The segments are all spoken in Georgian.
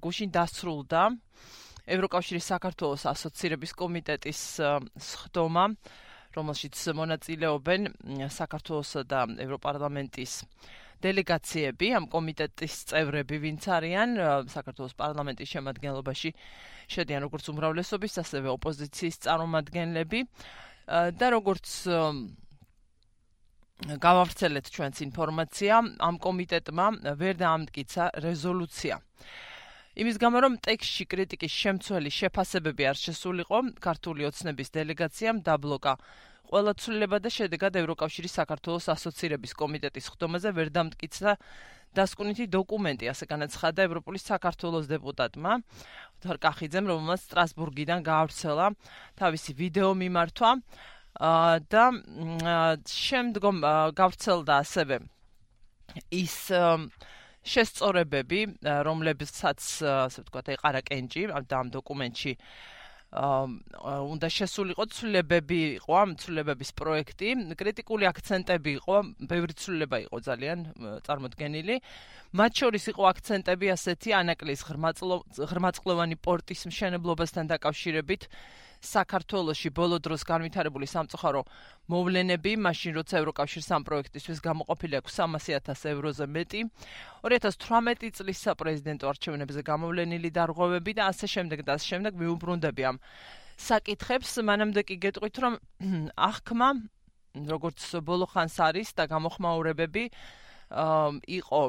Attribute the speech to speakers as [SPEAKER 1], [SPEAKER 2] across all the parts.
[SPEAKER 1] გუშინ დასრულდა ევროკავშირის საქართველოს ასოცირების კომიტეტის სხდომა, რომელშიც მონაწილეობენ საქართველოსა და ევროპარლამენტის დელეგაციები, ამ კომიტეტის წევრები, ვინც არიან საქართველოს პარლამენტის შემადგენლობაში შედიან როგორც უმრავლესობის, ასევე ოპოზიციის წარმომადგენლები და როგორც გავავრცელეთ ჩვენს ინფორმაცია, ამ კომიტეტმა ვერ დაამტკიცა რეზოლუცია. იმის გამო, რომ ტექსტში კრიტიკის შემცველი შეფასებები არ შესულიყო, ქართული ოცნების დელეგაციამ დაბლოკა ყველა ცვლილება და შედეგად ევროკავშირის საქართველოს ასოცირების კომიტეტის სხდომაზე ვერ დამტკიცა დასკვნითი დოკუმენტი, ასე განაცხადა ევროპული საქართველოს დეპუტატმა ოთარ კახიძემ, რომელმაც სტრასბურგიდან გაავრცელა თავისი ვიდეო მიმართვა და შემდგომ გავრცელდა ასევე ის შესწორებები, რომლებსაც, ასე ვთქვათ, ეყარა კენჭი და ამ დოკუმენტში უნდა შესულიყო ცვლილებები იყო ამ ცვლილებების პროექტი, კრიტიკული აქცენტები იყო, ბევრი ცვლილება იყო ძალიან წარმოდგენილი. მათ შორის იყო აქცენტები ასეთი ანაკლის ღრმაწყლოვანი პორტის მშენებლობასთან დაკავშირებით, საქართველოში ბოლო დროს განვითარებული სამწუხარო მოვლენები, მაშინ როცა ევროკავშირს ამ პროექტისთვის გამოყოფილი აქვს 300,000 ევროზე მეტი, 2018 წლის საპრეზიდენტო არჩევნებზე გამოვლენილი დარღვევები და ასე შემდეგ მიუბრუნდები ამ საკითხებს. მანამდე კი გეტყვით, რომ აღქმა, როგორც ბოლო ხანს არის და გამოხმაურებები იყო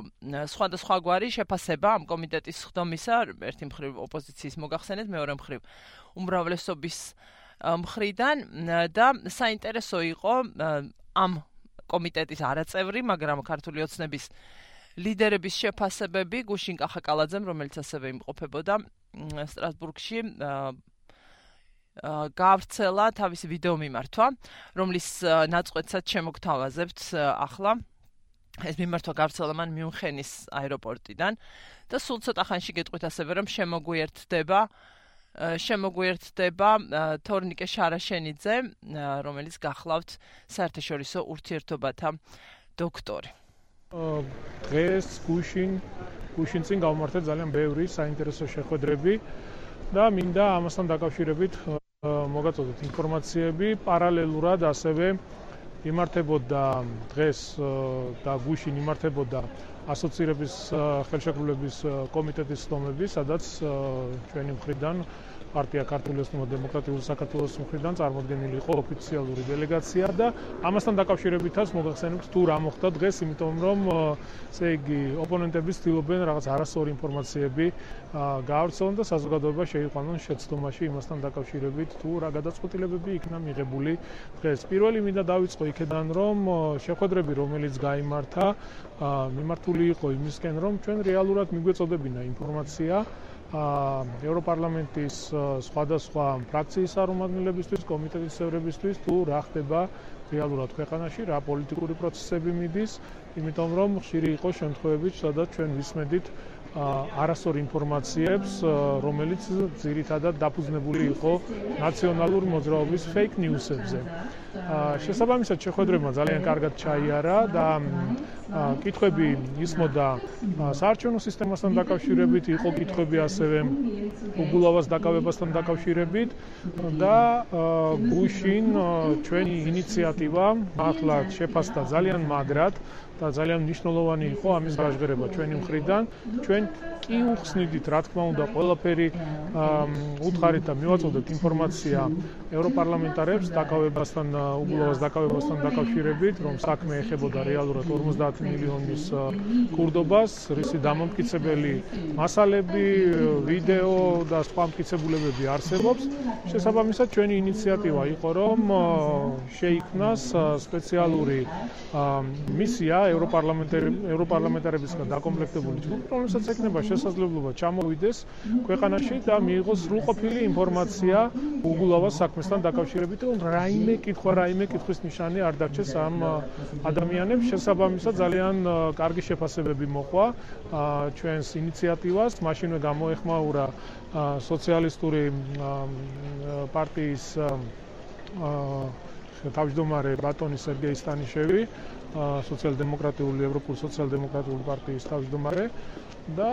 [SPEAKER 1] სხვადასხვაგვარი შეფასება ამ კომიტეტის სხდომისა, ერთი მხრივ ოპოზიციის მოგახსენეთ, მეორე მხრივ უმრავლესობის მხრიდან და საინტერესო იყო ამ კომიტეტის არაწევრი, მაგრამ ქართული ოცნების ლიდერების შეფასებები გუშინ კახაკალაძემ, რომელიც ასევე იმყოფებოდა სტრასბურგში, გაავრცელა თავისი ვიდეო მიმართვა, რომლის ნაწყვეტსაც შემოგთავაზებთ ახლა. ეს მიმართვა გავრცელა მან მიუნხენის აეროპორტიდან და სულ ცოტა ხანში გეტყვით ასევე, რომ შემოგვიერთდება თორნიკე შარაშენიძე, რომელიც გახლავთ საერთაშორისო ურთიერთობათა დოქტორი.
[SPEAKER 2] დღეს გუშინ წინ გავმართეთ ძალიან ბევრი საინტერესო შეხვედრები და მინდა ამასთან დაკავშირებით მოგაწოდოთ ინფორმაციები, პარალელურად ასევე იმართებოდა დღეს და გუშინ იმართებოდა ასოცირების ხელშეკრულების კომიტეტის სხდომები, სადაც ჩვენი მხრიდან პარტია ქართული ოცნებადემოკრატიული საქართველოს მხრიდან წარმოდგენილი იყო ოფიციალური დელეგაცია და ამასთან დაკავშირებითაც მოგახსენებთ თუ რა მოხდა დღეს, იმიტომ რომ ესე იგი ოპონენტები ცდილობენ რაღაც არასწორი ინფორმაციები გაავრცელონ და საზოგადოება შეიყვანონ შეცდომაში იმასთან დაკავშირებით თუ რა გადაწყვეტილებები იქნა მიღებული დღეს. პირველი მინდა დავიწყო იქედან, რომ შეხვედრები, რომელიც გაიმართა, მიმართული იყო იმისკენ, რომ ჩვენ რეალურად მიგვეწოდებინა ინფორმაცია ევროპარლამენტის სხვადასხვა ფრაქციის წარმომადგენლებისთვის, კომიტეტის წევრებისთვის თუ რა ხდება რეალურად ქვეყანაში, რა პოლიტიკური პროცესები მიდის, იმიტომ რომ ხშირი იყო შემთხვევები, სადაც ჩვენ ვისმენთ არასწორ ინფორმაციებს, რომელიც ძირითადად დაფუძნებული იყო ნაციონალურ მოძრაობის fake news-ებზე. შესაბამისად შეხვედრებმა ძალიან კარგად ჩაიარა და კითხვები ისმოდა საარჩევნო სისტემასთან დაკავშირებით, იყო კითხვები ასევე უგულავას დაკავებასთან დაკავშირებით და გუშინ ჩვენი ინიციატივა მართლაც შეფასდა ძალიან მაგრად და ძალიან მნიშვნელოვანი იყო ამის გაჟღერება ჩვენი მხრიდან. ჩვენ კი უხსნიდით, რა თქმა უნდა, ყველაფერი უთხარით და მივაწოდეთ ინფორმაცია ევროპარლამენტარებს დაკავებასთან, უგულავას დაკავებასთან დაკავშირებით, რომ საქმე ეხებოდა რეალურად 50 მილიონის კურდობას, რისი დამამტკიცებელი მასალები, ვიდეო და სხვა მტკიცებულებები არსებობს. შესაბამისად, ჩვენი ინიციატივა იყო, რომ შეიქმნას სპეციალური მისია ევროპარლამენტარებისგან დაკომპლექტებული ჯგუფი, რომელსაც ექნება შესაძლებლობა ჩამოვიდეს ქვეყანაში და მიიღოს სრულყოფილი ინფორმაცია უგულავას საქმესთან დაკავშირებით, რომ რაიმე კითხვის ნიშანი არ დარჩეს ამ ადამიანებს. შესაბამისად, ძალიან კარგი შეფასებები მოყვა ჩვენს ინიციატივას, მაშინვე გამოეხმაურა სოციალისტური პარტიის თავმჯდომარე ბატონი სერგეი სტანიშევი, სოციალ-დემოკრატიული ევროპული სოციალ-დემოკრატიული პარტიის თავმჯდომარე და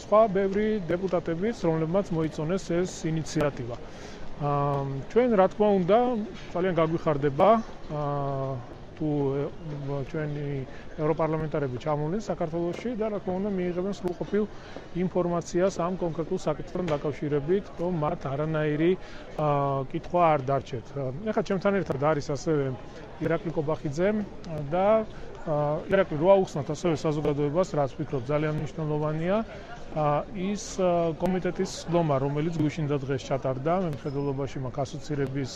[SPEAKER 2] სხვა ბევრი დეპუტატებიც, რომლებმაც მოიწონეს ეს ინიციატივა. ჩვენ რა თქმა უნდა ძალიან გაგვიხარდება თუ ჩვენი ევროპარლამენტარები ჩამოვიდნენ საქართველოში და რა თქმა უნდა მიიღებენ სრულყოფილ ინფორმაციას ამ კონკრეტულ საკითხთან დაკავშირებით, რომ მათ არანაირი კითხვა არ დარჩეთ. ეხლა ჩემთან ერთად არის ასევე ირაკლი კობახიძე და ირაკლი რო აუხსნათ ასევე საზოგადოებას, რაც ვფიქრობ ძალიან მნიშვნელოვანია, ის კომიტეტის სხდომა, რომელიც გუშინ და დღეს ჩატარდა მემხედველობაში მაგ ასოცირების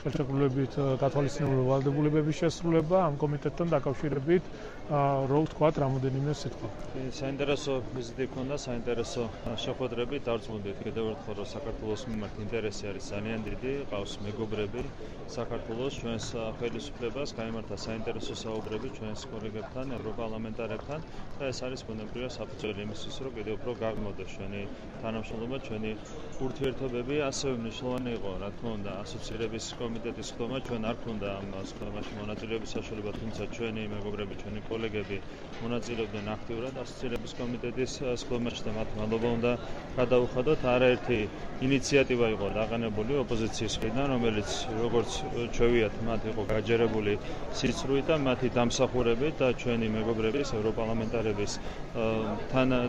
[SPEAKER 2] ხელშეკრულებით გათვალისწინებული ვალდებულებების შესრულება ამ კომიტეტთან დაკავშირებით რო ვთქვათ რამოდენიმე სიტყვა.
[SPEAKER 3] საინტერესო ვიზიტი ქონდა, საინტერესო შეხვედრები, დავწმუნდით კიდევ ერთხელ რომ საქართველოს მიმართ ინტერესი არის ძალიან დიდი, ყავს მეგობრები საქართველოს, ჩვენს ხელისუფლებას, გაიმართა საინტერესო საუბრები ჩვენს კოლეგებთან, ევროპარლამენტარებთან და ეს არის ბუნებრივია საფუძველი იმისთვის, რომ კიდევ უფრო გაღმოდეს ჩვენი თანამშრომლობა, ჩვენი ურთიერთობები, ასევე მნიშვნელოვანი იყო, რა თქმა უნდა, ასოცირების კომიტეტის სხდომა, ჩვენ არ გვქონდა ამ სხდომაში მონაწილეობის საშუალება, თუმცა ჩვენი მეგობრები, ჩვენი კოლეგები მონაწილეობდნენ აქტიურად ასოცირების კომიტეტის სხდომაში და მათ მადლობა უნდა გადაუხადოთ. არაერთი ინიციატივა იყო დაყენებული ოპოზიციის მხრიდან, რომელიც როგორც ჩვევიათ, მათ იყო გაჯერებული სიცრუით და მათი დამსახურებით და ჩვენი მეგობრების, ევროპარლამენტარების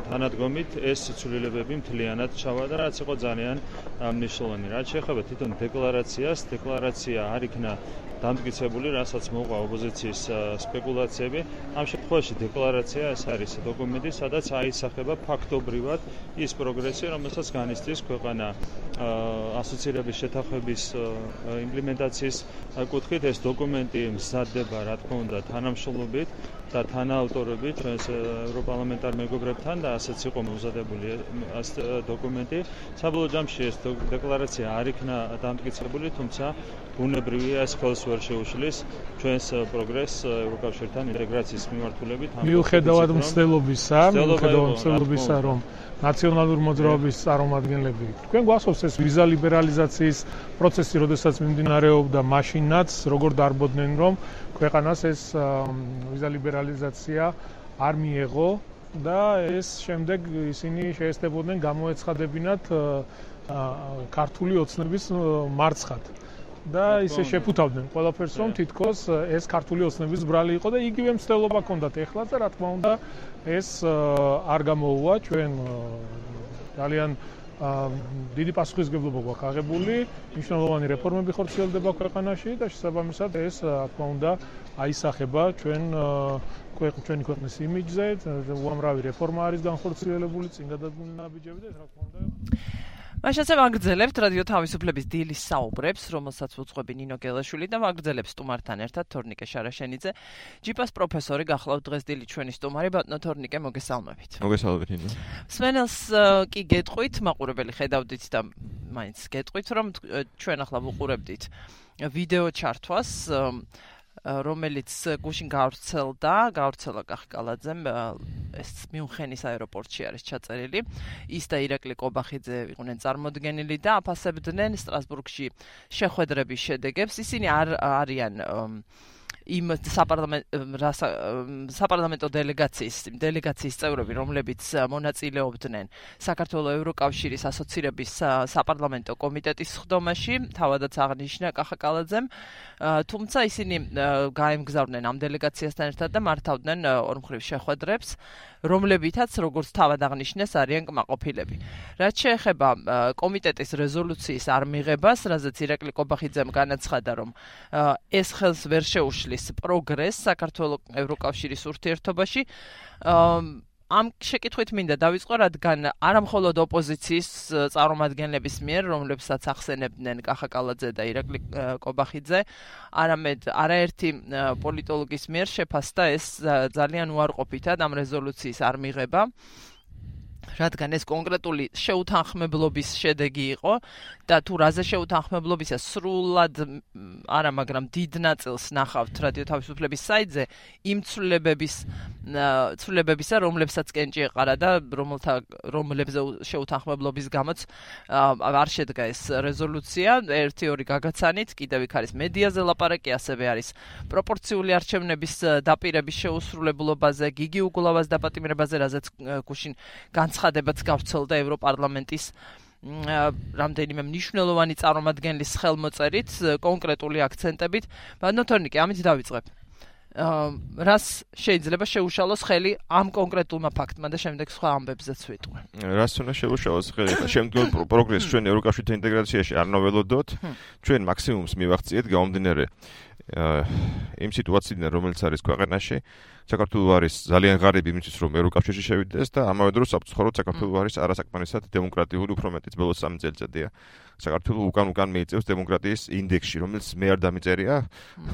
[SPEAKER 3] თანადგომით ეს ცვლილებები მთლიანად ჩავა და რაც იყო ძალიან მნიშვნელოვანი. რაც შეეხება თვითონ დეკლარაციას, დეკლარაცია არ იქნა დამტკიცებული, რასაც მოყვა ოპოზიციის სპეკულაციები. ამ შემთხვევაში დეკლარაცია ეს არის დოკუმენტი, სადაც აისახება ფაქტობრივად ის პროგრესი, რომელსაც განიცდის ქვეყანა ასოცირების შეთანხმების იმპლემენტაციის კუთხით. ეს დოკუმენტი მზადდება, რა თქმა უნდა, თანამშრომლობით და თანაავტორობით ჩვენს ევროპარლამენტარ მეგობრებთან და ასეც იყო მომზადებული ეს დოკუმენტი. საბოლოო ჯამში ეს დეკლარაცია არ იქნა დამტკიცებული, თუმცა ბუნებრივია ეს ხელს ვერ შეუშლის ჩვენს პროგრესს ევროკავშირთან ინტეგრაციის მიმართულებით.
[SPEAKER 2] მიუხედავად მცდელობისა, რომ ნაციონალური მოძრაობის წარმომადგენლები თქვენ გვახსოვს ეს ვიზა ლიბერალიზაციის პროცესი, როდესაც მიმდინარეობდა, მაშინაც როგორ დარბოდნენ, რომ ქვეყანას ეს ვიზა ლიბერალიზაცია არ მიეღო და ეს შემდეგ ისინი შეესწებოდნენ გამოეცხადებინათ ქართული ოცნების მარცხად. და ისე შეფუთავდნენ ყველაფერს, რომ თითქოს ეს ქართული ოცნების ბრალი იყო და იგივე მცდელობა ჰქონდათ ეხლა და რა თქმა უნდა ეს არ გამოუვა. ჩვენ ძალიან დიდი პასუხისმგებლობა გვაქვს აღებული, მნიშვნელოვანი რეფორმები ხორციელდება ქვეყანაში და შესაბამისად ეს რა თქმა უნდა აისახება ჩვენი ქვეყნის იმიჯზე, უამრავი რეფორმა არის განხორციელებული, წინ გადადგმული ნაბიჯები და ეს რა თქმა უნდა
[SPEAKER 1] მაშასე ვაგრძელებთ რადიო თავისუფლების დილის საუბრებს, რომელსაც უძღვები ნინო გელაშვილი და ვაგრძელებს სტუმართან ერთად თორნიკე შარაშენიძე. ჯიპას პროფესორი გახლავთ დღეს დილით ჩვენი სტუმარი ბატონო თორნიკე, მოგესალმებით.
[SPEAKER 4] მოგესალმებით ნინო.
[SPEAKER 1] სვენელს კი გეტყვით, მაყურებელი ხედავდით და მაინც გეტყვით, რომ ჩვენ ახლა ვუყურებდით ვიდეო ჩართვას, რომელიც გუშინ გავრცელა კახკალაძემ, ეს მიუნხენის აეროპორტში არის ჩაწერილი. ის და ირაკლი კობახიძე იყვნენ წარმოდგენილი და აფასებდნენ სტრასბურგში შეხვედრების შედეგებს. ისინი არიან იმ საპარლამენტო დელეგაციის წევრები, რომლებიც მონაწილეობდნენ საქართველოს ევროკავშირის ასოცირების საპარლამენტო კომიტეტის სხდომაში, თავადაც აღნიშნა კახაკალაძემ, თუმცა ისინი გაემგზავრნენ ამ დელეგაციასთან ერთად და მართავდნენ ორმხრივ შეხვედრებს, რომლებითაც, როგორც თავად აღნიშნეს, არიან კმაყოფილები. რაც შეეხება კომიტეტის რეზოლუციის არ მიღებას, რაზეც ირაკლი კობახიძემ განაცხადა, რომ ეს ხელს ვერ შეუშლის პროგრესს საქართველოს ევროკავშირის ურთიერთობაში, ამ შეკითხვით მინდა დავიწყო, რადგან არამხოლოდ ოპოზიციის წარმომადგენლების მიერ, რომლებსაც ახსენებდნენ კახაკალაძე და ირაკლი კობახიძე, არამედ არაერთი პოლიტოლოგის მიერ შეფასდა ეს ძალიან უარყოფითად ამ რეზოლუციის არ მიღება. რადგან ეს კონკრეტული შეუთანხმებლობის შედეგი იყო და თუ რაზე შეუთანხმებლობისა სრულად არა, მაგრამ დიდ ნაწილს ნახავთ რადიო თავისუფლების საიტზე იმ ცვლილებებისა, რომლებსაც კენჭი ეყარა და რომლებზე შეუთანხმებლობის გამოც არ შედგა ეს რეზოლუცია. 1-2 გაგაცანით, კიდევ იქ არის მედიაზე ლაპარაკი, ასევე არის პროპორციული არჩევნების დაპირების შეუსრულებლობაზე, გიგი უგულავას დაპატიმრებაზე, რაზეც გუშინ განცხადებაც გავრცელდა ევროპარლამენტის რამდენიმე მნიშვნელოვანი წარმომადგენლის ხელმოწერით, კონკრეტული აქცენტებით. ბანოთორნიკე, ამით დავიწყებ. რას შეიძლება შეუშალოს ხელი ამ კონკრეტულმა ფაქტმა და შემდეგ სხვა ამბებზეც ვიტყვე.
[SPEAKER 4] რას უნდა შეუშალოს ხელი? შემდგომ პროგრესს ჩვენ ევროკავშირთან ინტეგრაციაში არ ნოველოდოთ, ჩვენ მაქსიმუმს მივახციეთ გამომდინარე იმ სიტუაციიდან, რომელიც არის ქვეყანაში. საქართველოს არის ძალიან ღარიბი იმისთვის, რომ ევროკავშირში შევიდეს და ამავე დროს საფრთხოდ საქართველოს არის არასაკმარისად დემოკრატიული, უფრო მეტიც ბოლოს 3 წელიწადია. საქართველოს უკან მიიწევს დემოკრატიის ინდექსში, რომელიც მე არ დამიწერია,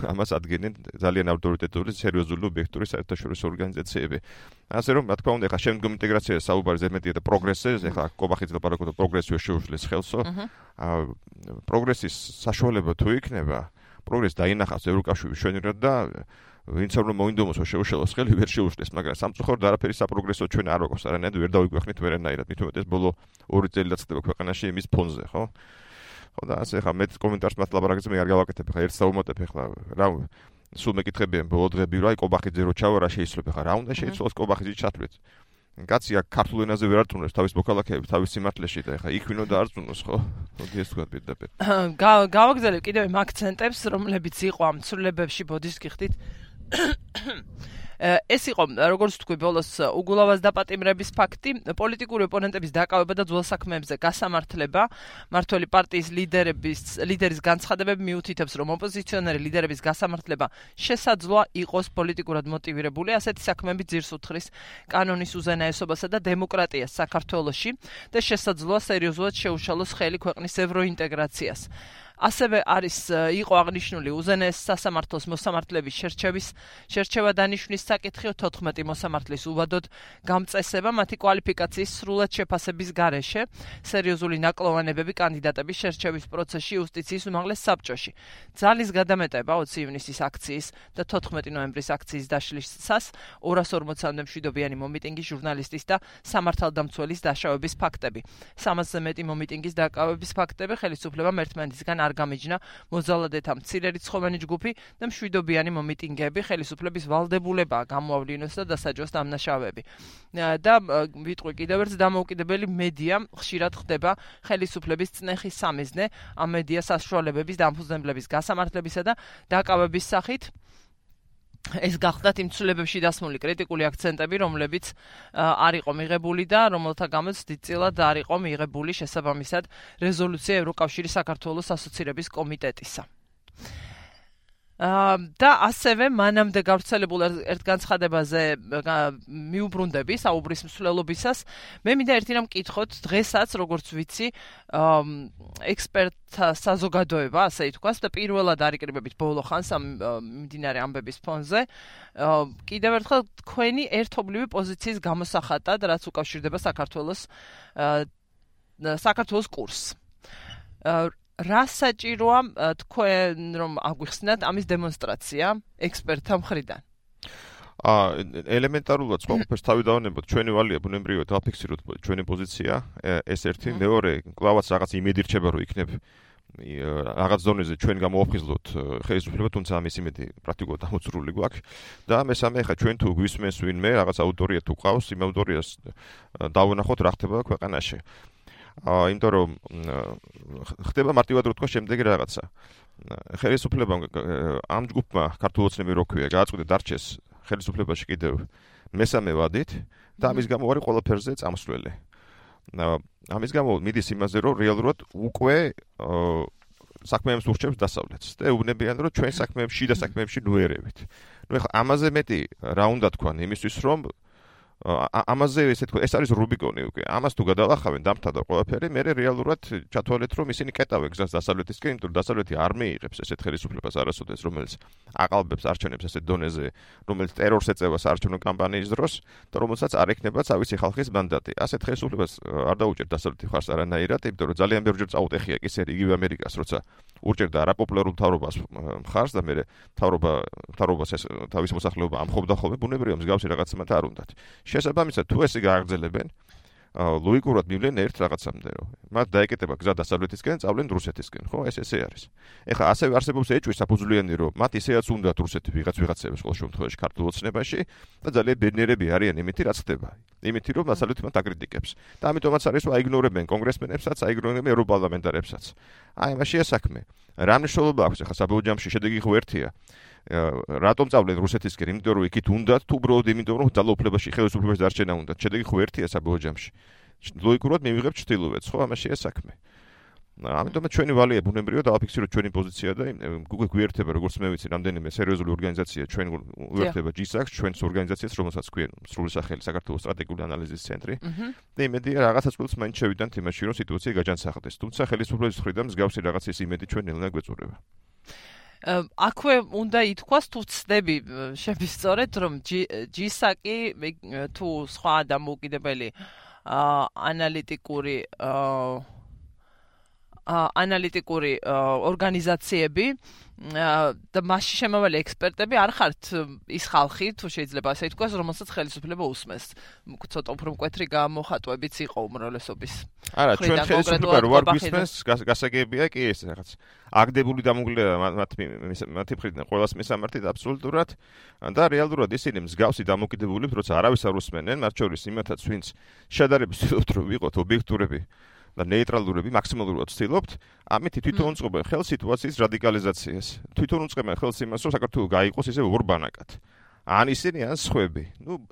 [SPEAKER 4] ამას ადგენენ ძალიან ავტორიტეტული, სერიოზული, ობიექტური საერთაშორისო ორგანიზაციები. ასე რომ, რა თქმა უნდა, ახლა შემდგომ ინტეგრაციაზე საუბარი ზედმეტია და პროგრესზე, ახლა კობახიც ლაპარაკობდა პროგრესიო შეუშლის ხელსო. პროგრესის საშუალება თუ იქნება, პროგრესი დაინახავს ევროკავშირის შვენივრად და ვინც არ მოინდომოსო შეუშალოს ხელი ვერ შეუშლის, მაგრამ სამწუხაროდ არაფერი საპროგრესო ჩვენ არ აქვს, არანაირად ვერ დავიგვეხნით ვერანაირად. მით უმეტეს ბოლო 2 წელიწად ხდება ქვეყანაში იმის ფონზე, ხო? ხო და ასე ხა მე კომენტარს მათ ლაპარაკზე მე არ გავაკეთებ, ხა ერთ საუბმოტებ ხა რა სულ მეკითხებიან ბოლო დღეები რა კობახიძე რო ჩავა რა შეიძლება ხა რა უნდა შეიცვალოს კობახიძე ჩათვლით. კაცი აქ ქართულ ენაზე ვერ არტუნებს თავის მოქალაქეებს თავის სიმართლეში და ხა იქ ვინო დაარწუნოს, ხო? მოდი ეს თქვა პირდაპირ.
[SPEAKER 1] გავაგზავნებ კიდევ იმ აქცენტებს, რომლებიც იყო ამ ცვლილებებში ბოდის გიხდით. ეს იყო, როგორც თქვი, ბოლოს უგულავას დაპატიმრების ფაქტი, პოლიტიკური ოპონენტების დაკავება და ძველ საქმეებზე გასამართლება. მართველი პარტიის ლიდერის განცხადებები მიუთითებს, რომ ოპოზიციონერი ლიდერების გასამართლება შესაძლოა იყოს პოლიტიკურად მოტივირებული. ასეთი საქმეები ძირს უთხრის კანონის უზენაესობასა და დემოკრატიას საქართველოში და შესაძლოა სერიოზულად შეუშალოს ხელი ქვეყნის ევროინტეგრაციას. ასევე იყო აღნიშნული უზენაეს სასამართლოს მოსამართლეების შერჩევა დანიშვნის საკითხი 14 მოსამართლის უვადოდ გამწესება მათი კვალიფიკაციის სრულად შეფასების გარეშე, სერიოზული ნაკლოვანებები კანდიდატების შერჩევის პროცესში იუსტიციის უმაღლეს საბჭოში. ძალის გადამეტება 20 ივნისის აქციის და 14 ნოემბრის აქციის დაშლისას 240-მდე მშვიდობიანი მომიტინგის ჟურნალისტის და სამართალდამცველის დაშავების ფაქტები. 300-ზე მეტი მომიტინგის დაკავების ფაქტები ხელისუფლებამ ერთმანეთისგან არ გამიჯნა მოძალადეთა მცირე რიცხოვანი ჯგუფი და მშვიდობიანი მომიტინგეები ხელისუფლების ვალდებულებაა გამოავლინოს და დასაჯოს დამნაშავეები. და ვიტყვი კიდევ ერთ დამოუკიდებელი მედია ხშირად ხდება ხელისუფლების წნეხის სამიზნე ამ მედია საშუალებების დამფუძნებლების გასამართლებისა და დაკავების სახით. ეს გახდათ იმ ცვლილებებში დასმული კრიტიკული აქცენტები, რომლებიც არ იყო მიღებული და რომელთა გამოც დიდწილად არ იყო მიღებული შესაბამისად რეზოლუცია ევროკავშირის საქართველოს ასოცირების კომიტეტისა. და ასევე მანამდე გავრცელებულ ერთ განცხადებაზე მიუბრუნდები საუბრის მსვლელობისას. მე მინდა ერთი რამ მკითხოთ, დღესაც როგორც ვიცი, ექსპერტთა საზოგადოება, ასე ითქვას, და პირველად არიკრიბებით ბოლო ხანს ამ მიმდინარე ამბების ფონზე, კიდევ ერთხელ თქვენი ერთობლივი პოზიციის გამოსახატად, რაც უკავშირდება საქართველოს კურსს. რა საჭიროა თქვენ რომ აგვიხსნათ ამის დემონსტრაცია ექსპერტთა მხრიდან?
[SPEAKER 4] ელემენტარულად ყველაფერს თავი დავანებოთ, ჩვენი ვალია ბუნებრივად დავფიქსიროთ ჩვენი პოზიცია, ეს ერთი, მეორე, კლავაც რაღაც იმედი რჩება რომ იქნებ რაღაც დონეზე ჩვენ გამოვაფხიზლოთ ხელისუფლება, თუმცა ამის იმედი პრაქტიკულად ამოწურული გვაქვს და მესამე, ხა ჩვენ თუ გვისმენს ვინმე რაღაც აუდიტორია თუ ყავს, იმ აუდიტორიას დავუნახოთ რა ხდება ქვეყანაში. იმიტომ რომ ხდება მარტივად რო თქვა შემდეგი რაღაცა. ხელისუფლებამ ამ ჯგუფმა ქართულ ოცნები რო ქვია, გააწყვიტა დარჩეს ხელისუფლებაში კიდევ მესამე ვადით და ამის გამო არის ყველაფერზე წამსვლელი. ამის გამო მიდის იმაზე, რომ რეალურად უკვე საქმეებს ურჩევს დასავლეთს და ეუბნებიან, რომ ჩვენ საქმეებში და საქმეებში ნუერებით. ნუ ეხლა ამაზე მეტი რა უნდა თქვან იმისთვის, რომ ამაზე ესე თქვა, ეს არის რუბიკონი უკვე. ამას თუ გადალახავენ დამთავრდა ყველაფერი, მე რეალურად ჩათვალეთ, რომ ისინი კეტავენ გზას დასავლეთისკენ, იმიტომ რომ დასავლეთი არ მეიღებს ესეთ ხელისუფლებას არასოდეს, რომელიც აყალბებს არჩევნებს ესეთ დონეზე, რომელიც ტერორს ეწევა საარჩევნო კამპანიის დროს, და რომელსაც არ ექნება თავისი ხალხის მანდატი. ასეთ ხელისუფლებას არ დაუჭერთ დასავლეთი მხარს არანაირად, იმიტომ რომ ძალიან ბევრჯერ წაუტეხია კი ისე იგივე ამერიკას, როცა ურჭერდა არაპოპულარულ მთავრობას მხარს და მე მთავრობას ეს თავის მოსახლეობა ამხობდა ხოლმე, ბუნებრივია მსგავსი რაღაცა მათ არ უნდათ. შესაბამისად, თუ ესე გააგრძელებენ, ლოგიკურად მივლენ ერთ რაღაცამდე, რომ მათ დაეკეტება გზა დასავლეთისკენ, წავლენ რუსეთისკენ, ხო? ეს ესე არის. ეხლა ასევე არსებობს ეჭვი საფუძვლიანი, რომ მათ ისეაც უნდათ რუსეთი ვიღაცებს ყოველ შემთხვევაში ქართულ ოცნებაში და ძალიან ბედნიერები არიან იმითი, რაც ხდება. იმითი, რომ დასავლეთი მათ აკრიტიკებს. და ამიტომაც არის, რომ აიგნორებენ კონგრესმენებსაც, აიგნორებენ ევროპარლამენტარებსაც. აი, მაშია საქმე. რა მნიშვნელობა აქვს ეხლა საბოლოო შედეგი ხო ერთია. რატომ წავლენ რუსეთისკენ? იმიტომ რომ იქით უნდათ, თუ უბრალოდ იმიტომ რომ ძალაუფლებაში ხელისუფლებაში დარჩენა უნდათ. შედეგი ხო ერთია საბოლოო ჯამში. ლოგიკურად მივიღებთ ჩრდილოეთს, ხო? ამაშია საქმე. ამიტომაც ჩვენი ვალია ბუნებრივია დავაფიქსიროთ ჩვენი პოზიცია და უკვე გვიერთება, როგორც მე ვიცი, რამდენიმე სერიოზული ორგანიზაცია ჩვენ უერთდება GISAX, ჩვენს ორგანიზაციას, რომელსაც ქვია სრული სახელი საქართველოს სტრატეგიული ანალიზის ცენტრი. და იმედია რაღაცა წყვილს მაინც შევიდანთ იმაში, რომ სიტუაცია გაჯანსაღდეს. თუმცა ხელისუფლების მხრიდან მსგავსი რაღაცის იმედი ჩვენ ნელ-ნელა გვეწურება.
[SPEAKER 1] აქვე უნდა ითქვას, თუ ცდები შევისწორეთ, რომ GISAC-ი თუ სხვა დამოუკიდებელი ანალიტიკური ორგანიზაციები და მასში შემავალი ექსპერტები არ ხართ ის ხალხი, თუ შეიძლება ასე ითქვას, რომელსაც ხელისუფლება უსმენს. ცოტა უფრო მკვეთრი გამოხატვებიც იყო უმრავლესობის.
[SPEAKER 4] არა, ჩვენ ხელისუფლება რო არ გვისმენს, გასაგებია კი ეს რაღაც. აგდებული დამოუკიდებლობა მათი მხრიდან ყველას მისამართით აბსოლუტურად და რეალურად ისინი მსგავსი დამოუკიდებლობებს, როცა არავის არ უსმენენ, მათ შორის იმათაც, ვინც შედარებით ცდილობთ რომ ვიყოთ ობიექტურები და ნეიტრალურები მაქსიმალურად ვცდილობთ, ამით თვითონ უწყობენ ხელს სიტუაციის რადიკალიზაციას. თვითონ უწყებენ ხელს იმას, რომ საქართველო გაიყოს ისე ორბანაკად. ან ისინი, ან სხვები.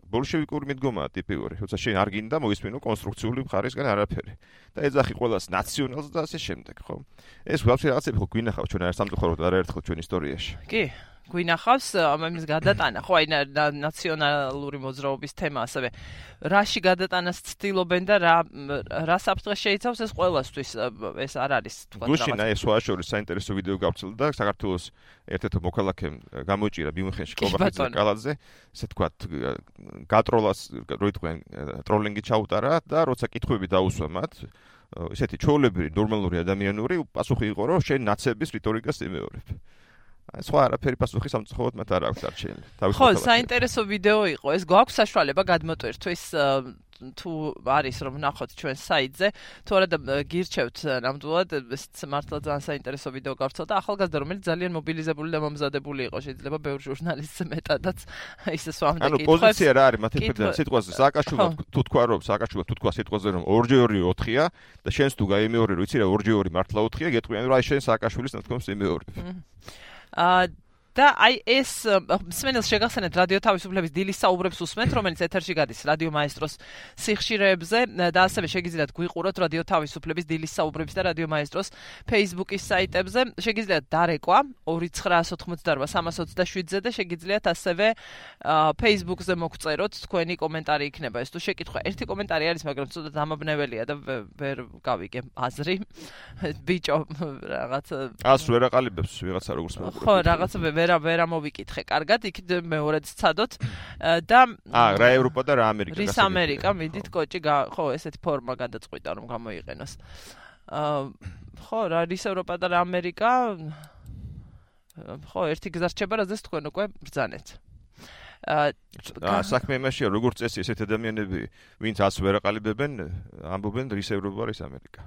[SPEAKER 4] ბოლშევიკური მიდგომაა ტიპიური, როცა შენ არ გინდა მოისმინო კონსტრუქციული მხარისგან არაფერი. და ეძახი ყველას ნაციონალს და ასე შემდეგ, ხო? ეს ვაფშე რაღაცები ხო გვინახავს ჩვენ არ სამწუხაროდ არაერთხელ ჩვენ ისტორიაში.
[SPEAKER 1] კი. გვინახავს ამის გადატანა, ხო, აი ნაციონალური მოძრაობის თემა ასევე რაში გადატანას ცდილობენ და რა საფრთხეს შეიცავს ეს ყველასთვის ეს არ არის თქვა
[SPEAKER 4] გუშინ აი სხვა შორის საინტერესო ვიდეო გავრცელდა საქართველოს ერთ-ერთ მოქალაქემ გამოიჭირა ბიუნხენში კობახიძე კალაძე ესე თქვა გატროლას როიტყვენ ტროლინგი ჩაუტარა და როცა კითხვები დაუსვა მათ ესეთი ჩვეულებრივი ნორმალური ადამიანური პასუხი იყო რომ შენ ნაცების რიტორიკას იმეორებ სხვა არაფერი პასუხი სამწუხაროდ მათ არ აქვს დარჩენილი.
[SPEAKER 1] ხო, საინტერესო ვიდეო იყო. ეს გვაქვს საშუალება გადმოტვირთვის თუ არის რომ ნახოთ ჩვენ საიტზე, თუ არა და გირჩევთ ნამდვილად ეს მართლა ძალიან საინტერესო ვიდეო გავრცელდა ახალგაზრდა რომელიც ძალიან მობილიზებული და მომზადებული იყო შეიძლება ბევრ ჟურნალისტს მეტადაც ისე სვამდა კითხვებს.
[SPEAKER 4] ანუ პოზიცია რა არის მათი მხრიდან სიტყვაზე სააკაშვილო თუ თქვა რომ სააკაშვილო თუ თქვა სიტყვაზე რომ 2-2 4-ია და შენს თუ გაიმეორე რომ იცი რა 2-2 მართლა 4-ია გეტყვიან რომ აი შენ სააკაშვილის ნათქვამს იმეორებ.
[SPEAKER 1] და აი ეს მსმენელს შეგახსენეთ რადიო თავისუფლების დილის საუბრებს უსმენთ, რომელიც ეთერში გადის რადიო მაესტროს სიხშირეებზე და ასევე შეგიძლიათ გვიყუროთ რადიო თავისუფლების დილის საუბრების და რადიო მაესტროს Facebook-ის საიტებზე. შეგიძლიათ დარეკვა 2988327-ზე და შეგიძლიათ ასევე Facebook-ზე მოგწეროთ თქვენი კომენტარი იქნება. ეს თუ შეკითხვა ერთი კომენტარი არის, მაგრამ ცოტა დამაბნეველია და ვერ გავიგე აზრი. ბიჭო რაღაც
[SPEAKER 4] ას ვერ აყალიბებს ვიღაცა როგორც მოგყვება.
[SPEAKER 1] ხო, რაღაცა ვერ ამოვიკითხე კარგად, იქით მეორედ ცადოთ და
[SPEAKER 4] რა ევროპა და რა ამერიკა.
[SPEAKER 1] რის ამერიკა, მიდით კოჭი, ხო, ესეთი ფორმა გადაწყვიტა რომ გამოიყენოს. ხო, რა რის ევროპა და რა ამერიკა. ხო, ერთი გზა რჩება, რაზეც თქვენ უკვე ბრძანეთ.
[SPEAKER 4] საქმე იმაშია, როგორც წესი, ესეთ ადამიანები, ვინც ას ვერ აყალიბებენ, ამბობენ რის ევროპა, რის ამერიკა.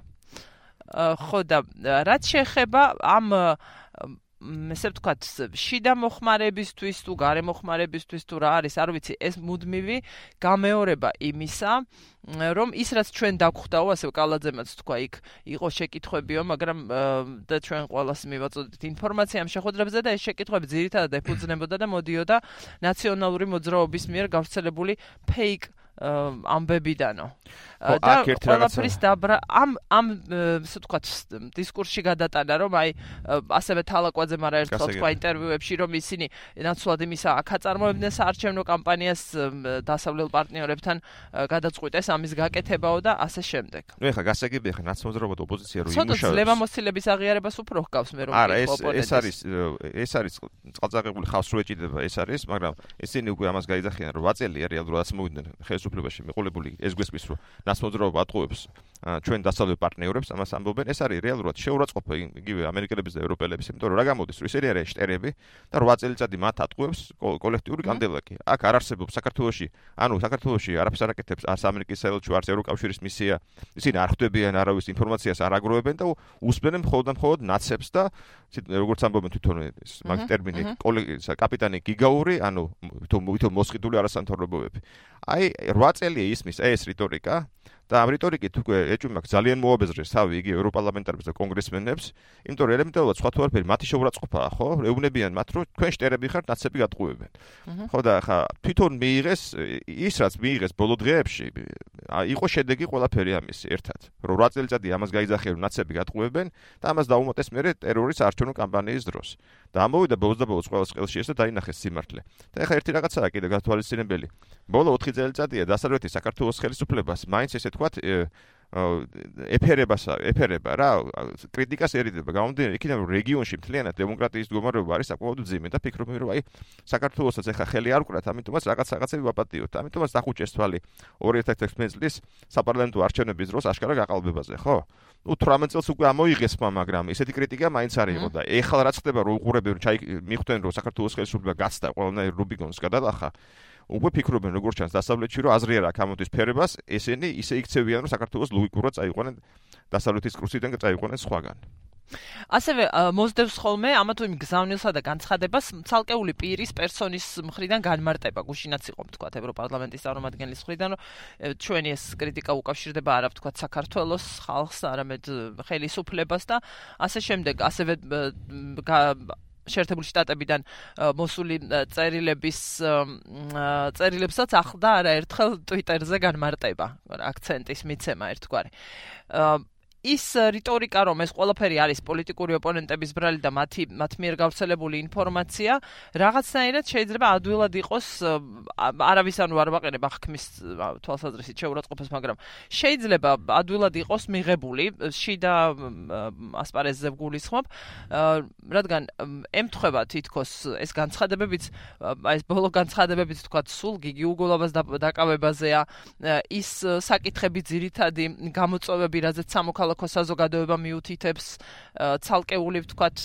[SPEAKER 1] ხო და რაც შეეხება ამ ესე ვთქვათ, შიდა მოხმარებისთვის თუ გარე მოხმარებისთვის თუ რა არის, არ ვიცი, ეს მუდმივი გამეორება იმისა, რომ ის რაც ჩვენ დაგხვდაო, ასე კალაძემაც თქვა, იქ იყო შეკითხვებიო, მაგრამ და ჩვენ ყველას მივაწოდეთ ინფორმაცია ამ შეხვედრებზე და ეს შეკითხვები ძირითადად ეფუძნებოდა და მოდიოდა ნაციონალური მოძრაობის მიერ გავრცელებული ფეიქ ამბებიდანო. და ყველაფრის დაბრა ამ ასე ვთქვათ დისკურსში გადატანა რომ აი ასევე თალაკვაძემ არაერთხელ თქვა ინტერვიუებში რომ ისინი ნაცვლად იმისა აქ აწარმოებდნენ საარჩევნო კამპანიას დასავლელ პარტნიორებთან გადაწყვიტეს ამის გაკეთებაო და ასე შემდეგ.
[SPEAKER 4] ნუ ეხლა გასაგებია ეხლა ნაცნობად ოპოზიცია რო
[SPEAKER 1] იმუშავებს. ცოტა ძლევამოსილების აღიარებას უფრო ჰგავს მე რომ
[SPEAKER 4] ეს არის წყალწაღებული ხავს რო ეჭიდება ეს არის, მაგრამ ისინი უკვე ამას გაიძახიან რომ 8 წელია რეალურად მოვიდნენ ხელისუფლებაში მიყოლებული ეს გვესმის რომ ნაცნობად ატყუებს ჩვენ დასავლელ პარტნიორებს ამას ამბობენ ეს არის რეალურად შეურაცხყოფა იგივე ამერიკელების და ევროპელების იმიტომ რომ რა გამოდის რომ ისინი არიან შტერები და 8 წელიწადი მათ ატყუებს კოლექტიური კანდელაკი აქ არ არსებობს საქართველოში არაფერს არ აკეთებს არც ამერიკის საელჩო არც ევროკავშირის მისია ისინი არ ხვდებიან არავის ინფორმაციას არ აგროვებენ და უსმენენ მხოლოდ ნაცებს და როგორც ამბობენ თვითონ ეს მაგ ტერმინი კაპიტანი გიგაური თვითონ მოსყიდული არასამთავრობოები აი 8 წელია ისმის ეს რიტორიკა და ამ რიტორიკით უკვე ეჭვმა ძალიან მოაბეზრეს თავი იგი ევროპარლამენტარებს და კონგრესმენებს, იმიტომ რომ ელემენტარულად სხვა თუ არაფერი მათი შეურაცხყოფაა, ხო? ეუბნებიან მათ, რომ თქვენ შტერები ხართ, ნაცები გატყუებენ. ხო და ხა თვითონ მიიღეს ის რაც მიიღეს ბოლო დღეებში, იყო შედეგი ყველაფერი ამის ერთად. რომ 8 წელიწადი ამას გაიძახიან, რომ ნაცები გატყუებენ და ამას დაუმატეს მერე ტერორის არჩევნო კამპანიის დროს. და ამოვიდა ბოლოს ყველას ყელში ეს და დაინახეს სიმართლე. და ეხლა ერთი რაღაცაა კიდე გათვალისწინებელი. ბოლო 4 წელიწადია დასავლეთის საქართველოს ხელისუფლებას მაინც ესე თქვათ ეფერება რა კრიტიკას ერიდება გამომდინარე იქიდან რომ რეგიონში მთლიანად დემოკრატიის მდგომარეობა არის საკმაოდ ძიმე და ფიქრობენ რომ აი საქართველოსაც ეხა ხელი არ უკრათ ამიტომაც რაღაცები ვაპატიოთ ამიტომაც დახუჭეს თვალი 2016 წლის საპარლამენტო არჩევნების დროს აშკარა გაყალბებაზე ხო ну 18 წელს უკვე ამოიღეს მაგრამ ესეთი კრიტიკა მაინც არ იყო და ეხლა რაც ხდება რომ უყურებენ მიხვდნენ რომ საქართველოს ხელისუფლება გაცდა ყველანაირ რუბიკონს გადალახა უკვე ფიქრობენ როგორც ჩანს დასავლეთში რომ აზრი არ აქვს ამოდის ფერებას ესენი ისე იქცევიან რომ საქართველოს ლოგიკურად წაიყვნენ დასავლეთის კურსიდან წაიყვნენ სხვაგან
[SPEAKER 1] ასევე მოსდევს ხოლმე ამა თუ იმ გზავნილსა და განცხადებას ცალკეული პირის პერსონის მხრიდან განმარტება გუშინაც იყო თქვათ ევროპარლამენტის წარმომადგენლის მხრიდან რომ ჩვენი ეს კრიტიკა უკავშირდება არა თქვათ საქართველოს ხალხს არამედ ხელისუფლებას და ასე შემდეგ ასევე შეერთებული შტატებიდან მოსული წერილებსაც ახლდა არაერთხელ ტვიტერზე განმარტება აქცენტის მიცემა ერთგვარი ის რიტორიკა რომ ეს ყველაფერი არის პოლიტიკური ოპონენტების ბრალი და მათ მიერ გავრცელებული ინფორმაცია რაღაცნაირად შეიძლება ადვილად იყოს არავის არ ვაყენებ აღქმის თვალსაზრისით შეურაცხყოფას მაგრამ შეიძლება ადვილად იყოს მიღებული შიდა ასპარეზზე ვგულისხმობ რადგან ემთხვევა თითქოს ეს განცხადებებიც ეს ბოლო განცხადებებიც თქვა სულ გიგი უგოლავას დაკავებაზეა ის საკითხები ძირითადი გამოწვევები რაზეც სამოქალაქო საზოგადოება მიუთითებს ცალკეული ვთქვათ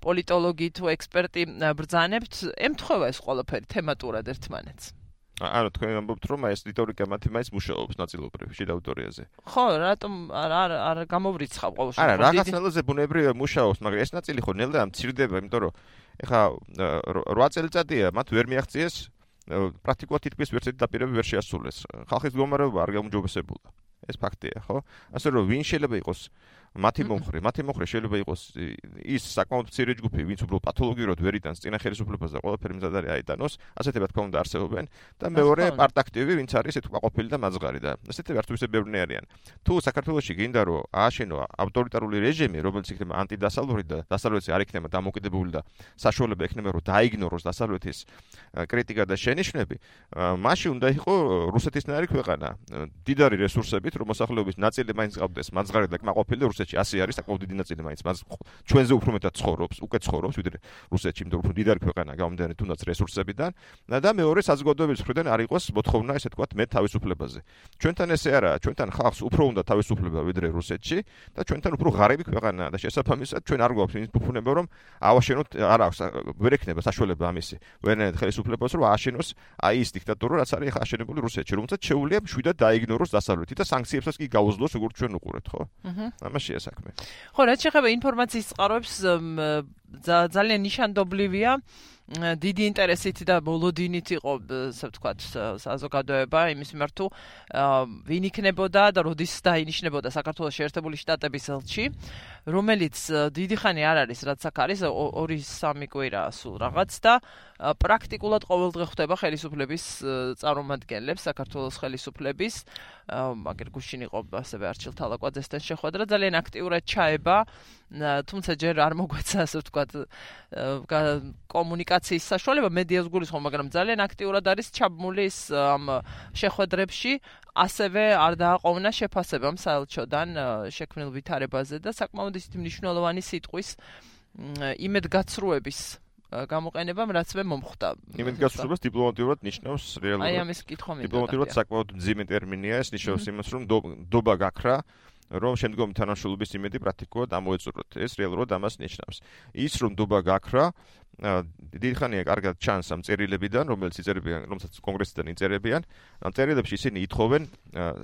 [SPEAKER 1] პოლიტოლოგი თუ ექსპერტი ბრძანებთ ემთხვევა ეს ყველაფერი თემატურად ერთმანეთს
[SPEAKER 4] ანუ თქვენ ამბობთ რომ ეს რიტორიკა მათი მაინც მუშაობს ნაწილობრივ შიდა აუდიტორიაზე
[SPEAKER 1] ხო რატომ არ გამოვრიცხავ ყოველ შემთხვევაში
[SPEAKER 4] არა რაღაცნაირად ბუნებრივია მუშაობს მაგრამ ეს ნაწილი ხო ნელ და მცირდება იმიტომ რომ ეხა 8 წელიწადია მათ ვერ მიაღწიეს პრაქტიკულად თითქმის ვერცერთი დაპირება ვერ შეასრულეს ხალხის მდგომარეობა არ გაუმჯობესებულა ეს ფაქტია, ხო? ასე რომ ვინ შეიძლება იყოს მათი მომხრე შეიძლება იყოს ის საკმაოდ მცირე ჯგუფი, ვინც უბრალოდ პათოლოგიურად ვერ იტანს წინა ხელისუფლებას და ყველაფერი მზად არის აიტანოს, ასეთებად თქმა უნდა არსებობენ და მეორე პარტაქტივი, ვინც არის ეს ყოფილი და მაძღარი და ასეთები არც ისე ბევრი არიან. თუ საქართველოში გინდა რომ ააშენო ავტორიტარული რეჟიმი, რომელიც იქნება ანტიდასავლური და დასავლეთი არ იქნება დამოკიდებული და საშუალება ექნება რომ დაიგნოროს დასავლეთის კრიტიკა და შენიშვნები, მაშინ უნდა იყო რუსეთისნაირი ქვეყანა, დიდარი რესურსებით, რომ მოსახლეობის ნაწილი მაინც ყავდეს მაძღარი და კმაყოფილი რუსეთში ასე არის საკმაოდ დიდი ნაწილი მაინც მას ჩვენზე უფრო მეტად ცხოვრობს, უკვე ცხოვრობს ვიდრე რუსეთში, იმიტომ რომ უფრო დიდარი ქვეყანა გამომდინარე თუნდაც რესურსებიდან და მეორე საზოგადოების მხრიდან არ იყოს მოთხოვნა ესე თქვა მე თავისუფლებაზე. ჩვენთან ესე არა, ჩვენთან ხალხს უფრო უნდა თავისუფლება ვიდრე რუსეთში და ჩვენთან უფრო ღარიბი ქვეყანაა და შესაბამისად ჩვენ არ გვაქვს იმის ფუფუნება რომ ავაშენოთ არ აქვს ვერ ექნება საშუალება ამისი. ვერანაირად ხელისუფლებას რომ ააშენოს აი ის დიქტატურა რაც არის ახლა აშენებული რუსეთში, რომელსაც შეუძლია მშვიდად დაიგნოროს დასავლეთი და სანქციებსაც კი გაუძლოს როგორც ჩვენ უყურეთ, ხო? ამაშია საქმე.
[SPEAKER 1] ხო, რაც შეეხება ინფორმაციის წყაროებს ძალიან ნიშანდობლივია დიდი ინტერესით და ბოლოდინით იყო, ასე ვთქვათ, საზოგადოება იმის მიმართ თუ ვინ იქნებოდა და როდის დაინიშნებოდა საქართველოს შეერთებული შტატების ელჩი, რომელიც დიდი ხანი არ არის, რაც აქ არის 2-3 კვირა სულ რაღაც და პრაქტიკულად ყოველდღე ხვდება ხელისუფლების წარმომადგენლებს, საქართველოს ხელისუფლების, მაგერ გუშინ იყო ასევე არჩილ თალაკვაძესთან შეხვედრა, ძალიან აქტიურად ჩაება, თუმცა ჯერ არ მოგვეცა, ასე ვთქვათ, კომუნიკაციის საშუალება, მედიას გულისხმობ, მაგრამ ძალიან აქტიურად არის ჩაბმული ამ შეხვედრებში, ასევე არ დააყოვნა შეფასება საელჩოდან შექმნილ ვითარებაზე და საკმაოდ ისეთი მნიშვნელოვანი სიტყვის იმედგაცრუების გამოყენებამ რაც მე მომხვდა.
[SPEAKER 4] იმედგაცრუებას დიპლომატიურად ნიშნავს რეალურად.
[SPEAKER 1] აი ამის კითხვა მინდა.
[SPEAKER 4] დიპლომატიურად საკმაოდ მძიმე ტერმინია ეს, ნიშნავს იმას, რომ დობა გაქრა, რომ შემდგომი თანამშრომლობის იმედი პრაქტიკულად ამოეწუროთ. ეს რეალურად ამას ნიშნავს. ის რომ დობა გაქრა, დიდი ხანია კარგად ჩანს ამ წერილებიდან, რომელსაც კონგრესიდან იწერებიან. ამ წერილებში ისინი ითხოვენ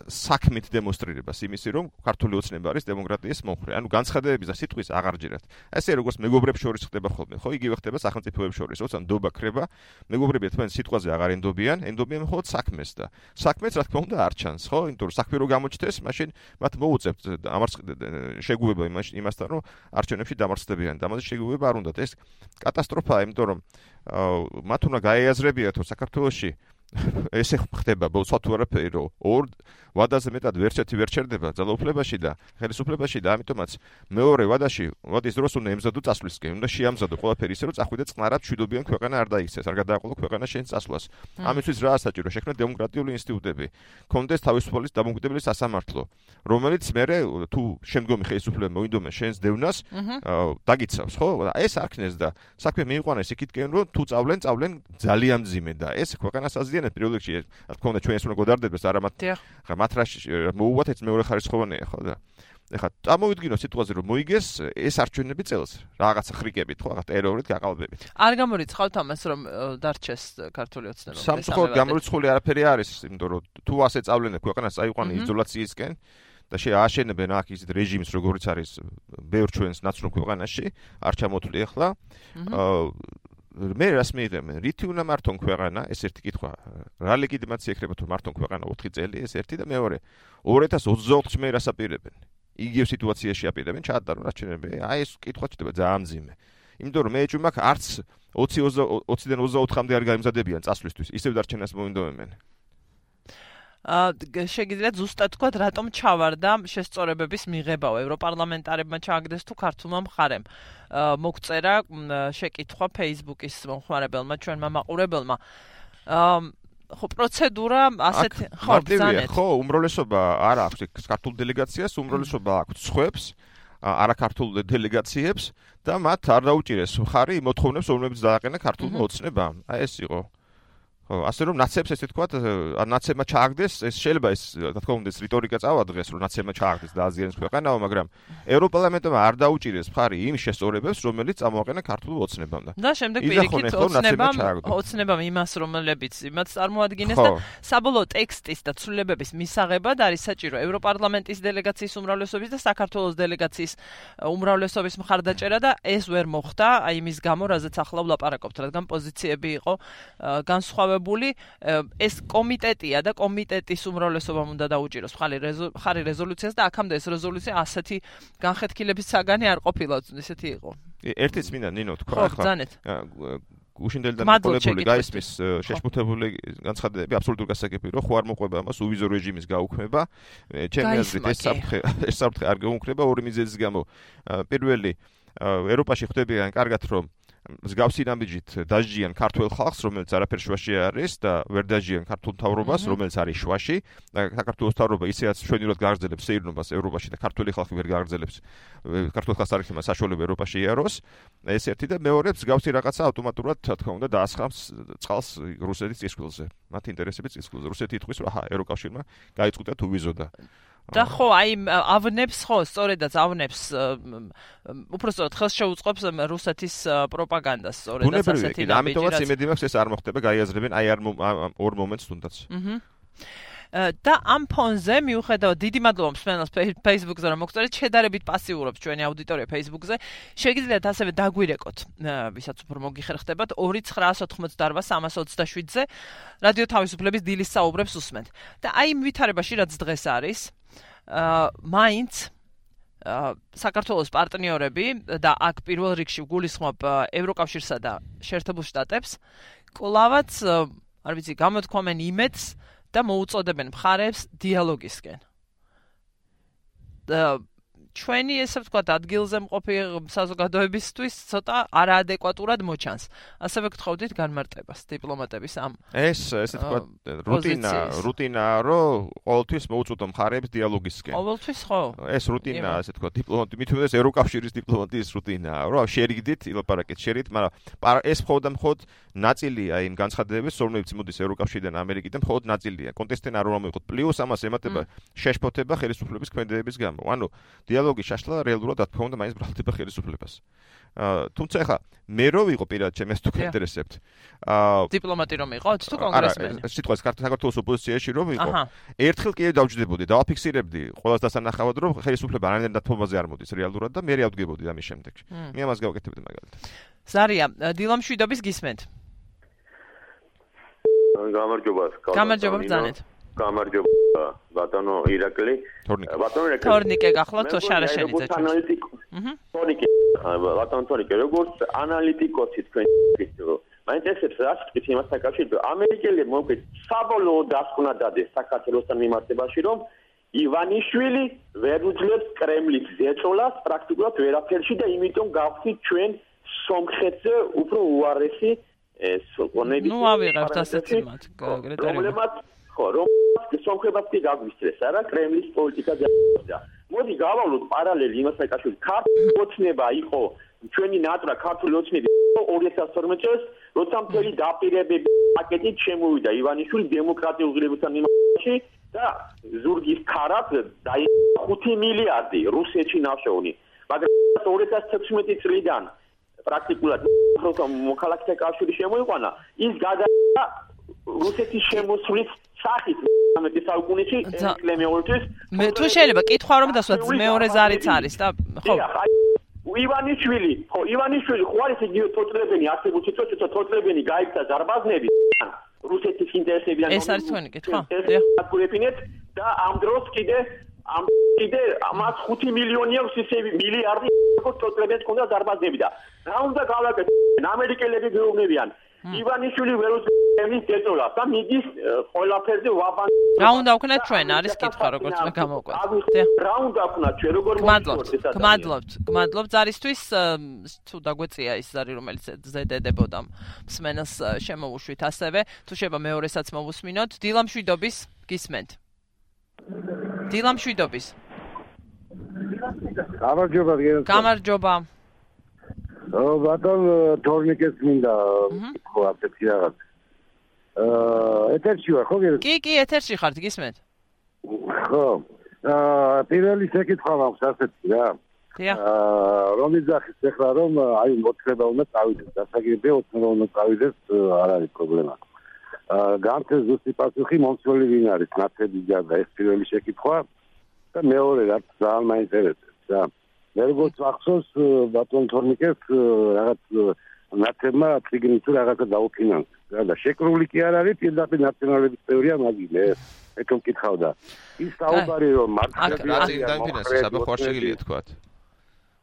[SPEAKER 4] საქმით დემონსტრირებას იმისი, რომ ქართული ოცნება არის დემოკრატიის მომხრე. ანუ განცხადებების და სიტყვის აღარ ჯერათ. ესე როგორც მეგობრებს შორის ხდება ხოლმე, ხო, იგივე ხდება სახელმწიფოებს შორის, როცა დობა ქრება, მეგობრები ერთმანეთს სიტყვაზე აღარ ენდობიან მხოლოდ საქმეს და საქმეც რა თქმა უნდა არ ჩანს, ხო? იმიტომ რომ საქმე რო გამოჩნდეს, მაშინ მათ მოუწევთ შეგუება იმასთან, რომ არჩევნებში დამარცხდებიან. ამაზე შეგუება არ უნდათ. ეს კატასტროფაა, იმიტომ რომ მათ უნდა გაეაზრებიათ, რომ საქართველოში ესე ხდება ბოლოს თუ არაფერი, რომ ორ ვადაზე მეტად ვერცერთი ვერ ჩერდება ძალაუფლებაში და ხელისუფლებაში და ამიტომაც მეორე ვადის დროს უნდა ემზადო წასვლისკენ, უნდა შეამზადო ყველაფერი ისე, რომ წახვიდე წყნარად მშვიდობიან ქვეყანა არ დაიქცეს, არ გადააყოლო ქვეყანა შენ წასვლას. ამისთვის რა საჭირო? შექმნა დემოკრატიული ინსტიტუტები, კონდეს თავისუფალი დამოუკიდებელი სასამართლო, რომელიც მერე თუ შემდგომი ხელისუფლება მოინდომა შენს დევნას, დაგიცავს, ხო? ეს არ ქნეს და საქმე მიიყვანეს იქითკენ, რომ თუ წავლენ ძალიან მძიმე და ეს ქვეყანას აზიანებს პირველ რიგში, რა თქმა უნდა ჩვენს უნდა გოდარდებს, არა მათ მოუვათ ეს მეორე ხარისხოვანია, ხო და ეხლა წამოვიდგინო სიტუაცია რომ მოიგეს ეს არჩევნები წელს რაღაცა ხრიკებით, ხო, რაღაც ტერორით გაყალბებით.
[SPEAKER 1] არ გამორიცხავთ ამას რომ დარჩეს ქართული ოცნება.
[SPEAKER 4] სამწუხაროდ გამორიცხული არაფერი არის, იმიტომ რომ თუ ასე წავლენებ ქვეყანას წაიყვანე იზოლაციისკენ და შეაშენებენ აქ ისეთ რეჟიმს, როგორც არის ბევრ ჩვენს ნაცნობ ქვეყანაში, არ ჩამოთვლი ახლა. მე რას მიიღებენ? რითი უნდა მართონ ქვეყანა? ეს ერთი კითხვა. რა ლეგიტიმაცია ექნება თუ მართონ ქვეყანა 4 წელი? ეს ერთი და მეორე. 2024-ში მე რას აპირებენ? იგივე სიტუაციაში აპირებენ ჩაატარონ არჩევნები. აი ეს კითხვა ჩდება ძალიან მძიმე. იმიტომ რომ მე ეჭვი მაქვს არც 20-დან 24-მდე არ გაიმზადებიან წასვლისთვის. ისევ დარჩენას მოინდომებენ.
[SPEAKER 1] შეგიძლიათ ზუსტად თქვათ, რატომ ჩავარდა შესწორებების მიღებაო ევროპარლამენტარებმა ჩააგდეს თუ ქართულმა მხარემ. მოგწერა შეკითხვა Facebook-ის მომხმარებელმა, ჩვენმა მაყურებელმა. ხო, პროცედურა ასეთი
[SPEAKER 4] ხო, ბრძანეთ. ხო, უმრავლესობა არ აქვს ქართულ დელეგაციას, უმრავლესობა აქვს სხვებს, არაქართულ დელეგაციებს და მათ არ დაუჭირეს მხარი მოთხოვნებს, რომლებიც დააყენა ქართულმა ოცნებამ. აი ეს იყო. ხო, ასე რომ ნაცებს ესე თქვათ, ნაცებმა ჩააგდეს, ეს შეიძლება ეს, რა თქმა უნდა, ეს რიტორიკა წავადგეს, რომ ნაცებმა ჩააგდეს და აზიანებს ქვეყანაო, მაგრამ ევროპარლამენტმა არ დაუჭირეს მხარი იმ შესწორებებს, რომელიც წამოაყენა ქართულ ოცნებამ
[SPEAKER 1] და შემდეგ პირიქით ოცნებამ იმას, რომლებიც იმას წარმოადგენს და საბოლოო ტექსტის და ცვლილებების მისაღებად არის საჭირო ევროპარლამენტის დელეგაციის უმრავლესობის და საქართველოს დელეგაციის უმრავლესობის მხარდაჭერა და ეს ვერ მოხდა, აი იმის გამო, რაზეც ახლა ვლაპარაკობთ, რადგან პოზიციები იყო განსხვავებული. ეს კომიტეტია და კომიტეტის უმრავლესობამ უნდა დაუჭიროს მხარი რეზოლუციას და აქამდე ეს რეზოლუცია ასეთი განხეთქილების საგანი არ ყოფილა, ისეთი იყო.
[SPEAKER 4] ერთიც მინდა ნინო თქვა
[SPEAKER 1] ახლა.
[SPEAKER 4] გუშინდელი და მოკოლებული გაისმის შეშფოთებული განცხადებები აბსოლუტურ გასაგებია, ხო არ მოყვება ამას უვიზო რეჟიმის გაუქმება. ჩემი აზრით ეს საფრთხე არ გაუქმება ორი მიზეზის გამო. პირველი, ევროპაში ხდებიან კარგად რომ მსგავსი ნაბიჯით დაჟიან ქართულ ხალხს, რომელიც არაფერ შუაში არის და ვერ დაჟიან ქართულ მთავრობას, რომელიც არის შუაში და საქართველოს მთავრობა ისეაც შვენივრად გააგრძელებს სეირნობას ევროპაში და ქართული ხალხი ვერ გააგრძელებს ქართულ ხალხს არ იქნება საშუალება ევროპაში იაროს. ეს ერთი და მეორე მსგავსი რაღაცა ავტომატურად, რა თქმა უნდა, დაასხამს წყალს რუსეთის წისქვილზე. მათი ინტერესები წისქვილზე. რუსეთი ითქვის, რომ აჰა, ევროკავშირმა გაიწყვიტა თუ ვიზოდა.
[SPEAKER 1] და ხო, აი ავნებს ხო, სწორედაც ავნებს უпростоოდ ხელს შეუწყობს რუსეთის პროპაგანდას, სწორედაც ასეთი
[SPEAKER 4] ნაბიჯი. ამიტომაც იმედი მაქვს ეს არ მოხდება, გაიაზრებენ აი ორ მომენტს თუნდაც.
[SPEAKER 1] და ამ ფონზე მიუხედავად დიდი მადლობა მსმენელს Facebook-ზე რომ მოგწერეთ, შედარებით პასიურობს ჩვენი აუდიტორია Facebook-ზე. შეგიძლიათ ასევე დაგვირეკოთ, ვისაც უფრო მოგიხერხდებათ 2988327-ზე რადიო თავისუფლების დილის საუბრებს უსმენთ. და აი იმ ვითარებაში რაც დღეს არის, მაინც საქართველოს პარტნიორები და აქ პირველ რიგში გულისხმობ ევროკავშირსა და შეერთებულ შტატებს, კლავაც არ ვიცი, გამოთქვამენ იმედს და მოუწოდებენ მხარებს დიალოგისკენ. ჩვენი ესე ვთქვათ ადგილზე მყოფი საზოგადოებისთვის ცოტა არაადეკვატურად მოჩანს. ასევე გთხოვდით განმარტებას დიპლომატების ამ
[SPEAKER 4] ესე ვთქვათ რუტინაა, რომ ყოველთვის მოუწოდო მხარებს დიალოგისკენ.
[SPEAKER 1] ყოველთვის ხო?
[SPEAKER 4] ეს რუტინაა, ესე ვთქვათ, მithumedes ევროკავშირის დიპლომატიის რუტინაა, რომ შერიგდით, ილაპარაკეთ შერით, მაგრამ ეს მხოლოდ ნაწილია იმ განცხადებების, რომლებიც მოდის ევროკავშირიდან, ამერიკიდან, მხოლოდ ნაწილია. კონტექსტიდან არ უნდა მივიღოთ. პლუს ამას ემატება შეშფოთება ხელისუფლების ქმედებების გამო. ანუ დიალოგი შაშლა რეალურად რა თქმა უნდა მაინც ბრალდება ხელისუფლებას. თუმცა ახლა მე რო ვიყო პირად ჩემს თუ გაინტერესებთ.
[SPEAKER 1] დიპლომატი რომ იყოთ თუ კონგრესმენი?
[SPEAKER 4] არა, სიტყვას საქართველოს ოპოზიციაში რომ ვიყო, ერთხელ კი დავჯდებოდი, დავაფიქსირებდი ყოველს დასანახავად, რომ ხელისუფლება არანაირ დათმობაზე არ მოდის რეალურად და მე ავდგებოდი ამის შემდეგ. მე ამას გავაკეთებდი მაგალითად.
[SPEAKER 1] ზარია, დილამშვიდობის გისმენთ.
[SPEAKER 5] გამარჯობა.
[SPEAKER 1] გამარჯობა ბრძანეთ.
[SPEAKER 5] გამარჯობა ბატონო ირაკლი.
[SPEAKER 1] თორნიკე გახლავთ შარაშენიძე.
[SPEAKER 5] თორნიკე, ბატონო თორნიკე, როგორც ანალიტიკოსი თქვენ მაინტერესებს რა თქვით იმას საკავშირით, რომ ამერიკელები მოკლედ საბოლოოდ დასკვნა დადეს საქართველოსთან მიმართებაში, რომ ივანიშვილი ვერ უძლებს კრემლის ზეწოლას პრაქტიკულად ვერაფერში და იმიტომ გავხდით ჩვენ სომხეთზე უფრო უარესი სონები.
[SPEAKER 1] ნუ ავიღებთ ასეთი მათ
[SPEAKER 5] პრობლემად რომ სომხებაც კი გაგვისწრეს არა კრემლის პოლიტიკა და მოდი გავავლოთ პარალელი იმას საკავშირით ქართული ოცნება იყო ჩვენი ნატრა ქართული ოცნები 2012 წელს როცა მთელი დაპირებები პაკეტით შემოვიდა ივანიშვილი დემოკრატიულ ღირებულთან მიმართებაში და ზურგის ქარად დაიყო 5 მილიარდი რუსეთში ნავშოვნი მაგრამ 2016 წლიდან პრაქტიკულად მოქალაქეთა კავშირი შემოიყვანა ის გადაიღო რუსეთის შემოსვლის სახით 19 საუკუნეში ეკლემეორთვის
[SPEAKER 1] მე თუ შეიძლება კითხვა რომ დასვათ მეორე ზარიც არის და ხო
[SPEAKER 5] ივანიშვილი ხო არის იგივე თოწლებენი არსებულ სიტუაციებში თოწლებენი გაიქცა ზარბაზნები რუსეთის ინტერესებიდან
[SPEAKER 1] ეს არის თქვენი კითხვა
[SPEAKER 5] და ამ დროს კიდე ამას 5 მილიონი აქვს ისე მილიარდი თოწლებებს ქონდა ზარბაზნები და რა უნდა გავაკეთოთ ამერიკელები გეუბნებიან ივანიშვილი ვერ უძლებს დეწოლას და მიდის ყველაფერზე ვაბან
[SPEAKER 1] რა უნდა ვქნათ ჩვენ არის კითხვა როგორც მე გამოვყვეთ
[SPEAKER 5] რა უნდა ვქნათ ჩვენ როგორ
[SPEAKER 1] გმადლობთ ზარისთვის თუ დაგვეწია ის ზარი რომელიც ზედედებოდა მსმენელს შემოუშვით ასევე თუ შეიძლება მეორესაც მოვუსმინოთ დილამშვიდობის გისმენთ დილამშვიდობის გამარჯობა
[SPEAKER 6] ბატონ თორნიკეს მინდა ხო ასეთი რაღაც ეთერში ვარ ხო
[SPEAKER 1] კი ეთერში ხართ გისმენთ
[SPEAKER 6] ხო პირველი შეკითხვა მაქვს ასეთი რა რომის ძახის ეხლა რომ აი მოწება უნდა წავიდეს დასაგებია ოცხება უნდა წავიდეს არ არის პრობლემა განცეს ზუსტი პასუხი მომცველი ვინ არის ნაცები და ეს პირველი შეკითხვა და მეორე რაც ძალიან მაინტერესებს რა მე როგორც ახსოვს ბატონ თორნიკეს რაღაც ნაცებმა ციგნით რაღაცა დაუფინანსა და შეკრული კი არ არის პირდაპირ ნაციონალების წევრია მაგილე ეკო მკითხავდა ის საუბარი რომ მართლაც
[SPEAKER 4] რა წინ დამფინანსეს აბა ხوار შეგიძლიათ თქვათ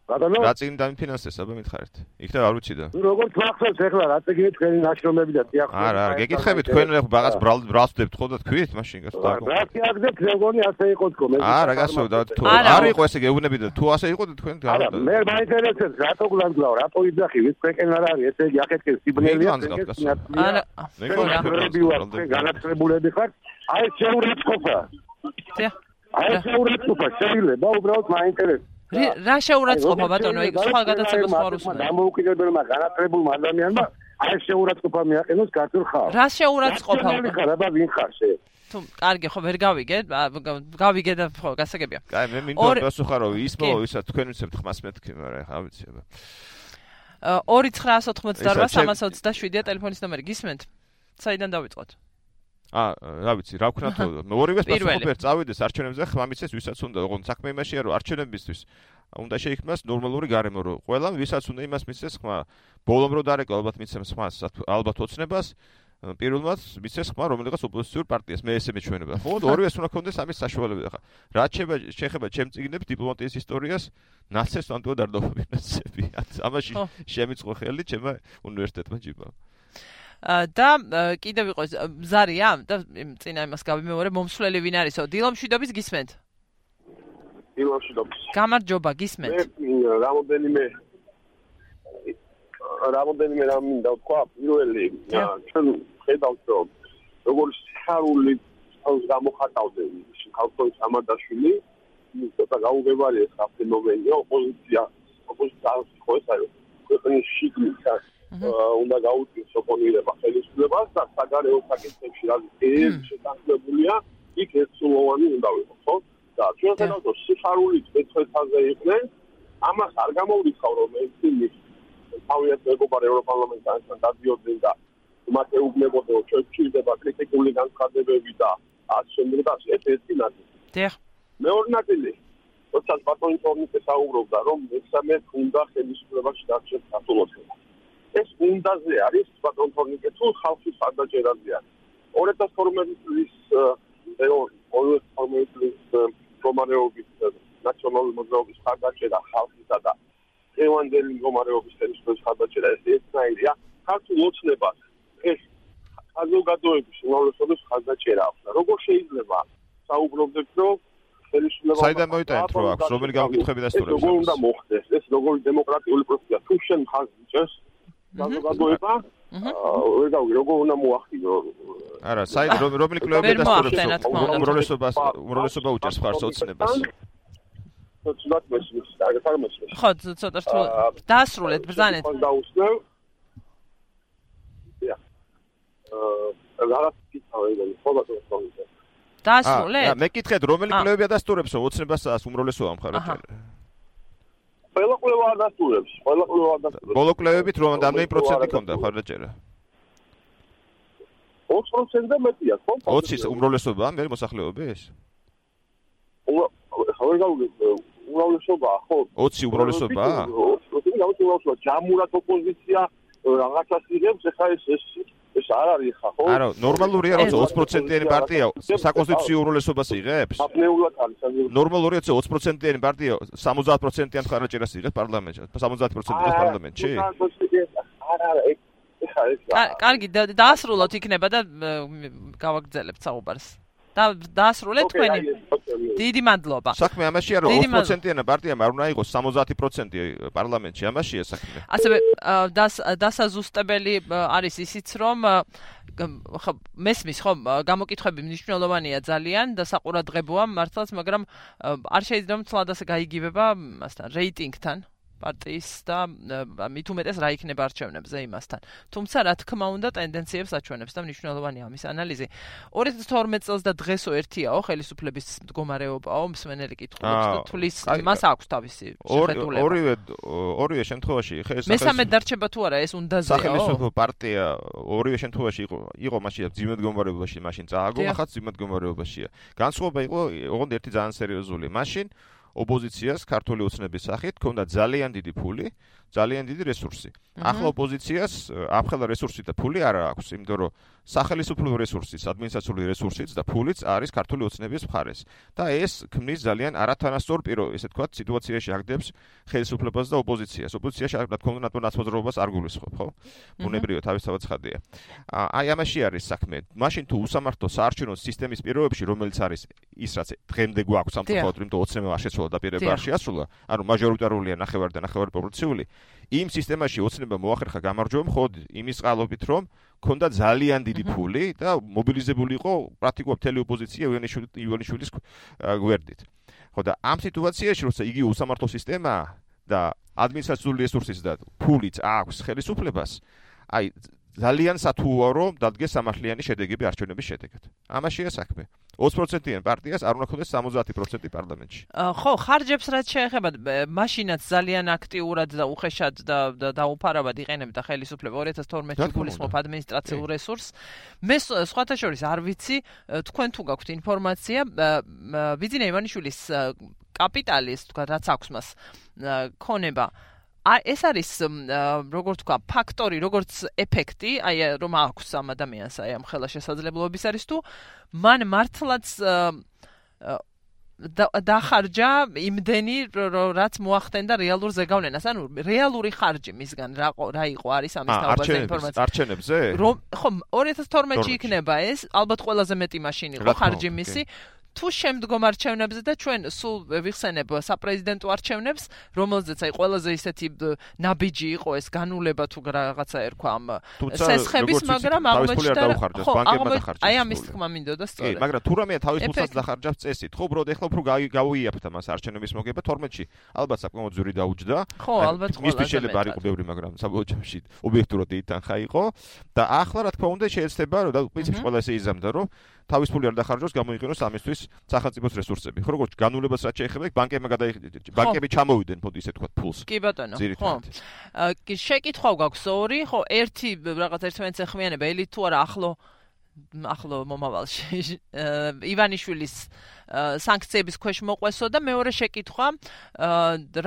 [SPEAKER 4] რა წინ დამფინანსეს აბა მითხარით იქ და არ უჩიდა
[SPEAKER 6] როგორც ახსოვს ეხლა რა წიგნი თქვენი ნაშრომები და ტიახო
[SPEAKER 4] არა გეკითხებით თქვენ რაღაც ბრალსდებთ ხო და თქვით მაშინ გასა
[SPEAKER 6] რა წიაგდეთ მეგონი ასე იყო თქო მე
[SPEAKER 4] არა გასაუბრდა თუ არ იყო ესე გეუბნები და თუ ასე იყო და თქვენ
[SPEAKER 6] არა მე მაინტერესებს რატო გლანძღავ რატო იძახი ვის თქვენ არ არის ესე იგი ახეთქეს სიბნელია
[SPEAKER 1] არა
[SPEAKER 6] განათლებულები ხარ აი შეურაცხყოფა შეიძლება უბრალოდ მაინტერესებს
[SPEAKER 1] რა შეურაცხყოფა ბატონო იქ სხვა გადაცემას ხარ უსმენ
[SPEAKER 6] დამოუკიდებელმა განათლებულმა ადამიანმა აი შეურაცხყოფა მიაყენოს ქართულ ხალხს
[SPEAKER 1] რა შეურაცხყოფა
[SPEAKER 6] ხარ ვინ ხარ შე
[SPEAKER 1] თუ კარგი ხო ვერ გავიგე და ხო გასაგებია
[SPEAKER 4] კაი მე მინდა გასუხარო ის ვისაც თქვენ ვიცებთ ხმას მეთქი მაგრამ ხა ვიცი აბა
[SPEAKER 1] 2988 327 ტელეფონის ნომერი გისმენთ საიდან დავიწყოთ
[SPEAKER 4] რა ვიცი, რა ვქნათ, ორივეს პასუხობერთ წავიდეს არჩევნებზე, ხმა მიცეს ვისაც უნდა, ოღონდ საქმე იმაშია, რომ არჩევნებისთვის უნდა შეიქმნას ნორმალური გარემო, რომ ყველამ ვისაც უნდა იმას მიცეს ხმა, ბოლომ რო დარეკვა ალბათ მიცემს ხმას, ალბათ ოცნებას, პირველად მიცეს ხმა რომელიღაც ოპოზიციურ პარტიას, მე ესე მეჩვენება. ხო, ორივეს უნდა ქონდეს ამის საშუალებები ხა. რა შეეხება ჩემ წიგნებს დიპლომატიის ისტორიას, ნაცეს ანტო დარდოფინანსები. ამაში შემიწყო ხელი ჩემმა უნივერსიტეტმა ჯიბა.
[SPEAKER 1] და კიდევ იყო ზარია და წინა იმას გავიმეორე მომსვლელი ვინ არისო დილომშვიდობის გისმენთ
[SPEAKER 7] დილომშვიდობის
[SPEAKER 1] გამარჯობა გისმენთ
[SPEAKER 7] რამოდენიმე რამ მინდა ვთქვა პირველი ჩვენ ხედავთ რომ როგორც სიხარული გამოხატავდნენ ქალწოლის ამადაშვილი ცოტა გაუგებარია ეს ფენომენია ოპოზიცია ხო ეს არის ქვეყნის შიგნით უნდა გაუწიოს ოპონირება ხელისუფლებას და საგარეო საკითხებში რაც შეთანხმებულია იქ ერთსულოვანი უნდა ვიყო ხო და ჩვენ ხედავთ რომ სიხარული წეცხვეთაზე იყვნენ ამას არ გამოვლიხავ რომ ესენი თავიანთ მეგობარ ევროპარლამენტარებთან დადიოდნენ და მათ ეუბნებოდნენ რომ ჩვენ გვჭირდება კრიტიკული განცხადებები და ასე შემდეგ და ეს ერთი ნაწილი მეორე ნაწილი როდესაც ბატონი თორნიკე საუბრობდა რომ მესამე უნდა ხელისუფლებაში დარჩეს სათულოცხება ეს უნდაზე არის ბატონ თორნიკე თუ ხალხის ხარდაჭერაზე არის 2012 წლის მდგომარეობის ნაციონალური მოძრაობის ხარდაჭერა ხალხისა და ევანდელი მდგომარეობის ხელისუფლების ხარდაჭერა ეს ერთნაირია ქართულ ოცნებას ეს საზოგადოების უმრავლესობის ხარდაჭერა აქვს და როგორ შეიძლება საუბრობდეთ რომ ხელისუფლება
[SPEAKER 4] საიდან მოიტანეთ რო აქვს რომელი გამოკითხები დასტურებს
[SPEAKER 7] ეს როგორ უნდა მოხდეს ეს როგორი დემოკრატიული პროცესია თუ შენ ხაზს იჭერს საზოგადოება როგორ უნდა მოახდინო
[SPEAKER 4] არა საიდან რომელი კლუბები დასტურებს უმრავლესობა უჭერს ხარს ოცნებას
[SPEAKER 7] ცოტა მესმის და მესმის
[SPEAKER 1] ხო ცოტა რთულ დაასრულეთ ბრძანეთ
[SPEAKER 7] დაუსნევ რაღაც კითხავენ ხო ბატონო
[SPEAKER 1] დაასრულეთ
[SPEAKER 4] მე კითხეთ რომელი კლუბები დასტურებს ოცნებას უმრავლესობა მხარდაჭერა
[SPEAKER 7] ყველა კვლევა არ დასტურებს.
[SPEAKER 4] ბოლო კვლევებით რომ რამდენი პროცენტი ქონდა მხარდაჭერა?
[SPEAKER 7] 20%-ზე მეტია, ხო?
[SPEAKER 4] 20 უმრავლესობა მე მოსახლეობის?
[SPEAKER 7] უმრავლესობა, ხო?
[SPEAKER 4] 20 უმრავლესობა?
[SPEAKER 7] 20 უმრავლესობა, ჯამურად ოპოზიცია რაღაცას იღებს, ეხლა ეს არ არის ხა, ხო?
[SPEAKER 4] არა, ნორმალურია რომ 20%-იანი პარტია საკონსტიტუციო უმრავლესობას იღებს?
[SPEAKER 7] აბნეულად არის.
[SPEAKER 4] ნორმალურია რომ 20%-იანი პარტია 70%-იან ხარაჭერას იღებს პარლამენტში, 70%-იან პარლამენტში?
[SPEAKER 1] კარგი, დაასრულოთ იქნება და გავაგრძელებთ საუბარს. დაასრულეთ თქვენი. დიდი მადლობა.
[SPEAKER 4] საქმე ამაშია რომ 20%-იანი პარტიამ არ უნდა იყოს 70% პარლამენტში, ამაშია საქმე.
[SPEAKER 1] ასევე დასაზუსტებელი არის ისიც რომ მესმის ხო გამოკითხვები მნიშვნელოვანია ძალიან და საყურადღებოა მართლაც, მაგრამ არ შეიძლება ცლად ასე გაიგივება მასთან რეიტინგთან პარტიის და მით უმეტეს რა იქნება არჩევნებზე იმასთან. თუმცა რა თქმა უნდა ტენდენციებს აჩვენებს და მნიშვნელოვანია ამის ანალიზი. 2012 წელს და დღესო ერთიაო ხელისუფლების მდგომარეობაო მსმენელი კითხულობს და თulis მას აქვს თავისი შეხედულება.
[SPEAKER 4] ორივე შემთხვევაში
[SPEAKER 1] მესამე დარჩება თუ არა ეს უნდაზეო.
[SPEAKER 4] სახელმწიფო პარტია ორივე შემთხვევაში იყო მაშინ ძიმედ მდგომარეობაში, მაშინ წააგო, ახაც ძიმედ მდგომარეობაშია. განსხვავება იყო ოღონდ ერთი ძალიან სერიოზული. მაშინ ოპოზიციას ქართული ოცნების სახით ჰქონდა ძალიან დიდი ფული, ძალიან დიდი რესურსი. ახლა ოპოზიციას ამხელა რესურსი და ფული არ აქვს, იმიტომ რომ სახელმწიფო რესურსიც, ადმინისტრაციული რესურსიც და ფულიც არის ქართული ოცნების მხარეს. და ეს ქმნის ძალიან არათანასწორ ესე ვთქვათ, სიტუაციაში აგდებს ხელისუფლებას და ოპოზიციას. ოპოზიციაში რა თქმა უნდა ნაცნობრობას არ გულისხმობ, ხო? ბუნებრივია თავისთავად ცხადია. აი ამაში არის საქმე. მაშინ თუ უსამართლო საარჩევნო სისტემის პირობებში, რომელიც არის ის რაც დღემდე გვაქვს სამწუხაროდ, იმიტომ ოცნებმა არ შეცვალა და პირება არ შეასრულა, ანუ მაჟორიტარულია ნახევარი და ნახევარი პროპორციული. იმ სისტემაში ოცნება მოახერხა გამარჯვება მხოლოდ იმის წყალობით, რომ ქონდა ძალიან დიდი ფული და მობილიზებული იყო პრაქტიკულად მთელი ოპოზიცია ივანიშვილის გვერდით. ხო და ამ სიტუაციაში, როცა იგი უსამართლო სისტემაა და ადმინისტრაციული რესურსიც და ფულიც აქვს ხელისუფლებას, აი ძალიან სათუოა რომ დადგეს სამართლიანი შედეგები არჩევნების შედეგად. ამაშია საქმე. 20%-იან პარტიას არ უნდა ქონდეს 70% პარლამენტში.
[SPEAKER 1] ხო, ხარჯებს რაც შეეხება, მაშინაც ძალიან აქტიურად და უხეშად და დაუფარავად იყენებდა ხელისუფლება 2012-ში გულისხმობ ადმინისტრაციულ რესურსს. მე სხვათა შორის არ ვიცი, თქვენ თუ გაქვთ ინფორმაცია, ბიძინა ივანიშვილის კაპიტალის, თქვა, რაც აქვს მას ქონება ეს არის როგორ თქვა ფაქტორი, როგორც ეფექტი, აი რომ აქვს ამ ადამიანს აი ამ ხელა შესაძლებლობების არის თუ მან მართლაც დახარჯა იმდენი რაც მოახდენდა რეალურ ზეგავლენას, ანუ რეალური ხარჯი მისგან რა იყო არის ამის თაობაზე ინფორმაცია.
[SPEAKER 4] არჩევნებზე?
[SPEAKER 1] ხო, 2012-ში იქნება ეს, ალბათ ყველაზე მეტი მაშინ იყო ხარჯი მისი. თუ შემდგომ არჩევნებზე და ჩვენ სულ ვიხსენებ საპრეზიდენტო არჩევნებს, რომელზეც აი ყველაზე ისეთი ნაბიჯი იყო ეს განულება თუ რაღაცა ერქვა ამ სესხების, მაგრამ აღმოჩნდა აი ამის თქმა მინდოდა სწორედ.
[SPEAKER 4] მაგრამ თუ რამეა თავის ფულსაც დახარჯავს წესით, ხო, უბრალოდ ეხლა უფრო გაუიაფთა მას არჩევნების მოგება 12-ში. ალბათ საკმაოდ ძვირი დაუჯდა.
[SPEAKER 1] ხო, ალბათ
[SPEAKER 4] მისთვის შეიძლება არ იყო ბევრი, მაგრამ საბოლოო ჯამში ობიექტურად ითანხა იყო და ახლა რა თქმა უნდა შეიძლება რომ და პრინციპში ყველა ესე იზამდა რომ თავის ფული არ დახარჯოს, გამოიყენოს ამისთვის სახელმწიფოს რესურსები. ხო, როგორც განულებას რაც შეეხება, ბანკები ჩამოვიდნენ ფონდი ისე თქვა ფულს.
[SPEAKER 1] კი ბატონო, ხო. შეკითხვა გაქვს ორი, ხო, ერთი რაღაც ერთმანეთს ეხმიანება, ელი თუ არა ახლო მომავალში ივანიშვილის სანქციების ქვეშ მოყვესო და მეორე შეკითხვა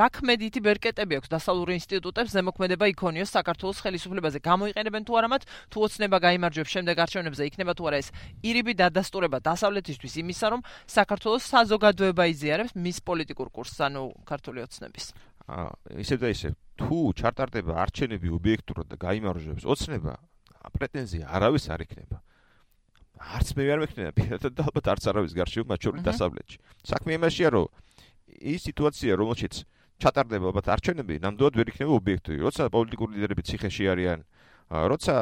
[SPEAKER 1] რა ქმედითი ბერკეტები აქვს დასავლურ ინსტიტუტებს ზემოქმედება იქონიოს საქართველოს ხელისუფლებაზე გამოიყენებენ თუ არა მათ თუ ოცნება გაიმარჯვებს შემდეგ არჩევნებზე იქნება თუ არა ეს ირიბი დადასტურება დასავლეთისთვის იმისა რომ საქართველოს საზოგადოება იზიარებს მის პოლიტიკურ კურსს ანუ ქართული ოცნების
[SPEAKER 4] ისევ და ისევ თუ ჩარტარდება არჩევნები ობიექტურად და გაიმარჯვებს ოცნება პრეტენზია არავის არ იქნება არც მე არ მექნება პირადად და ალბათ არც არავის გარშევ მათ შორის დასავლეთში. საქმე იმაშია რომ ის სიტუაცია რომელშიც ჩატარდება ალბათ არჩევნები ნამდვილად ვერ იქნება ობიექტური. როცა პოლიტიკური ლიდერები ციხეში არიან, როცა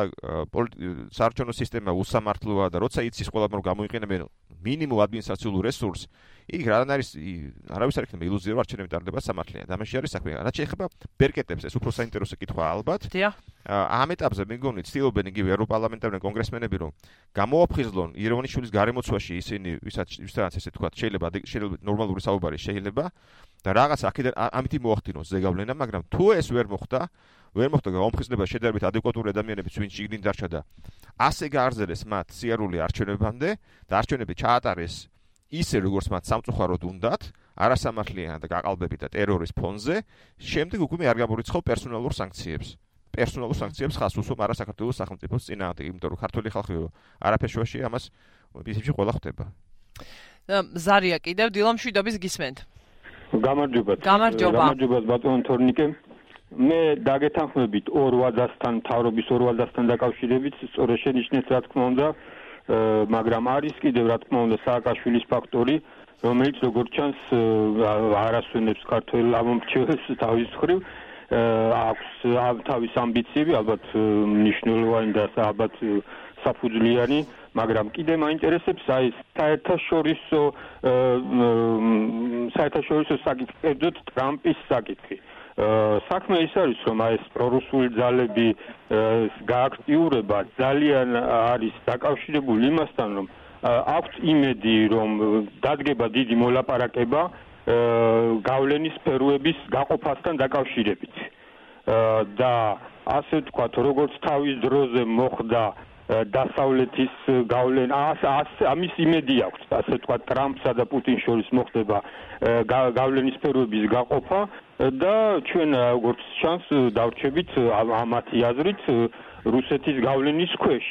[SPEAKER 4] საარჩევნო სისტემა უსამართლოა და როცა იცის ყველამ რომ გამოიყენებენ მინიმუმ ადმინისტრაციულ რესურსს, იქ არავის არ იქნება ილუზია რომ არჩევნები ტარდება სამართლიანად. ამაში არის საქმე. რაც შეეხება ბერკეტებს, ეს უფრო საინტერესო კითხვაა ალბათ. ამ ეტაპზე მე მგონი ცდილობენ იგივე ევროპარლამენტარული კონგრესმენები რომ გამოაფხიზლონ ირონიშვილის გარემოცვაში ისინი ვისაც ესე თქვა შეიძლება ნორმალური საუბარი შეიძლება და რაღაც აქედან ამითი მოახდინოს ზეგავლენა, მაგრამ თუ ეს ვერ მოხდა გამოფხიზლება შედარებით ადეკვატური ადამიანების ვინც შიგნით დარჩა და ასე გაარზელეს მათ სიარული არჩევნებამდე და არჩევნები ჩაატარეს ისე როგორც მათ სამწუხაროდ უნდათ, არასამართლიანად და გაყალბებით და ტერორის ფონზე, შემდეგ უკვე არ გამორიცხავ პერსონალურ სანქციებს. პერსონალურ სანქციებს ხას უსვამ არა საქართველოს სახელმწიფოს წინააღმდეგ, იმიტომ რომ ქართული ხალხი არაფერშუაში ამას ისევ ყველა ხვდება.
[SPEAKER 1] ზარია კიდევ დილამშვიდობის გისმენთ.
[SPEAKER 8] გამარჯობა ბატონო თორნიკე. მე დაგეთანხმებით 2 ვაძასთან, თავრობის 2 ვაძასთან დაკავშირებით, სწორედ შენიშნეთ რა თქმა უნდა, მაგრამ არის კიდევ რა თქმა უნდა სააკაშვილის ფაქტორი, რომელიც როგორც ჩანს არასვენებს ქართველ ამომრჩევებს თავის მხრივ. აქვს თავის ამბიციები, ალბათ მნიშვნელოვანი და ალბათ საფუძვლიანი, მაგრამ კიდე მაინტერესებს აი საერთაშორისო საკითხებდოთ ტრამპის საკითხი. საქმე ის არის, რომ აი ეს პრორუსული ძალები გააქტიურება ძალიან არის დაკავშირებული იმასთან, რომ აქვს იმედი, რომ დადგება დიდი მოლაპარაკება გავლენის სფეროების გაყოფასთან დაკავშირებით. და ასე ვთქვათ, როგორც თავის დროზე მოხდა დასავლეთის გავლენა, ამის იმედი აქვს, ასე ვთქვათ, ტრამპსა და პუტინს შორის მოხდება გავლენის სფეროების გაყოფა და ჩვენ როგორც ჩანს დავრჩებით ამათი აზრით რუსეთის გავლენის ქვეშ.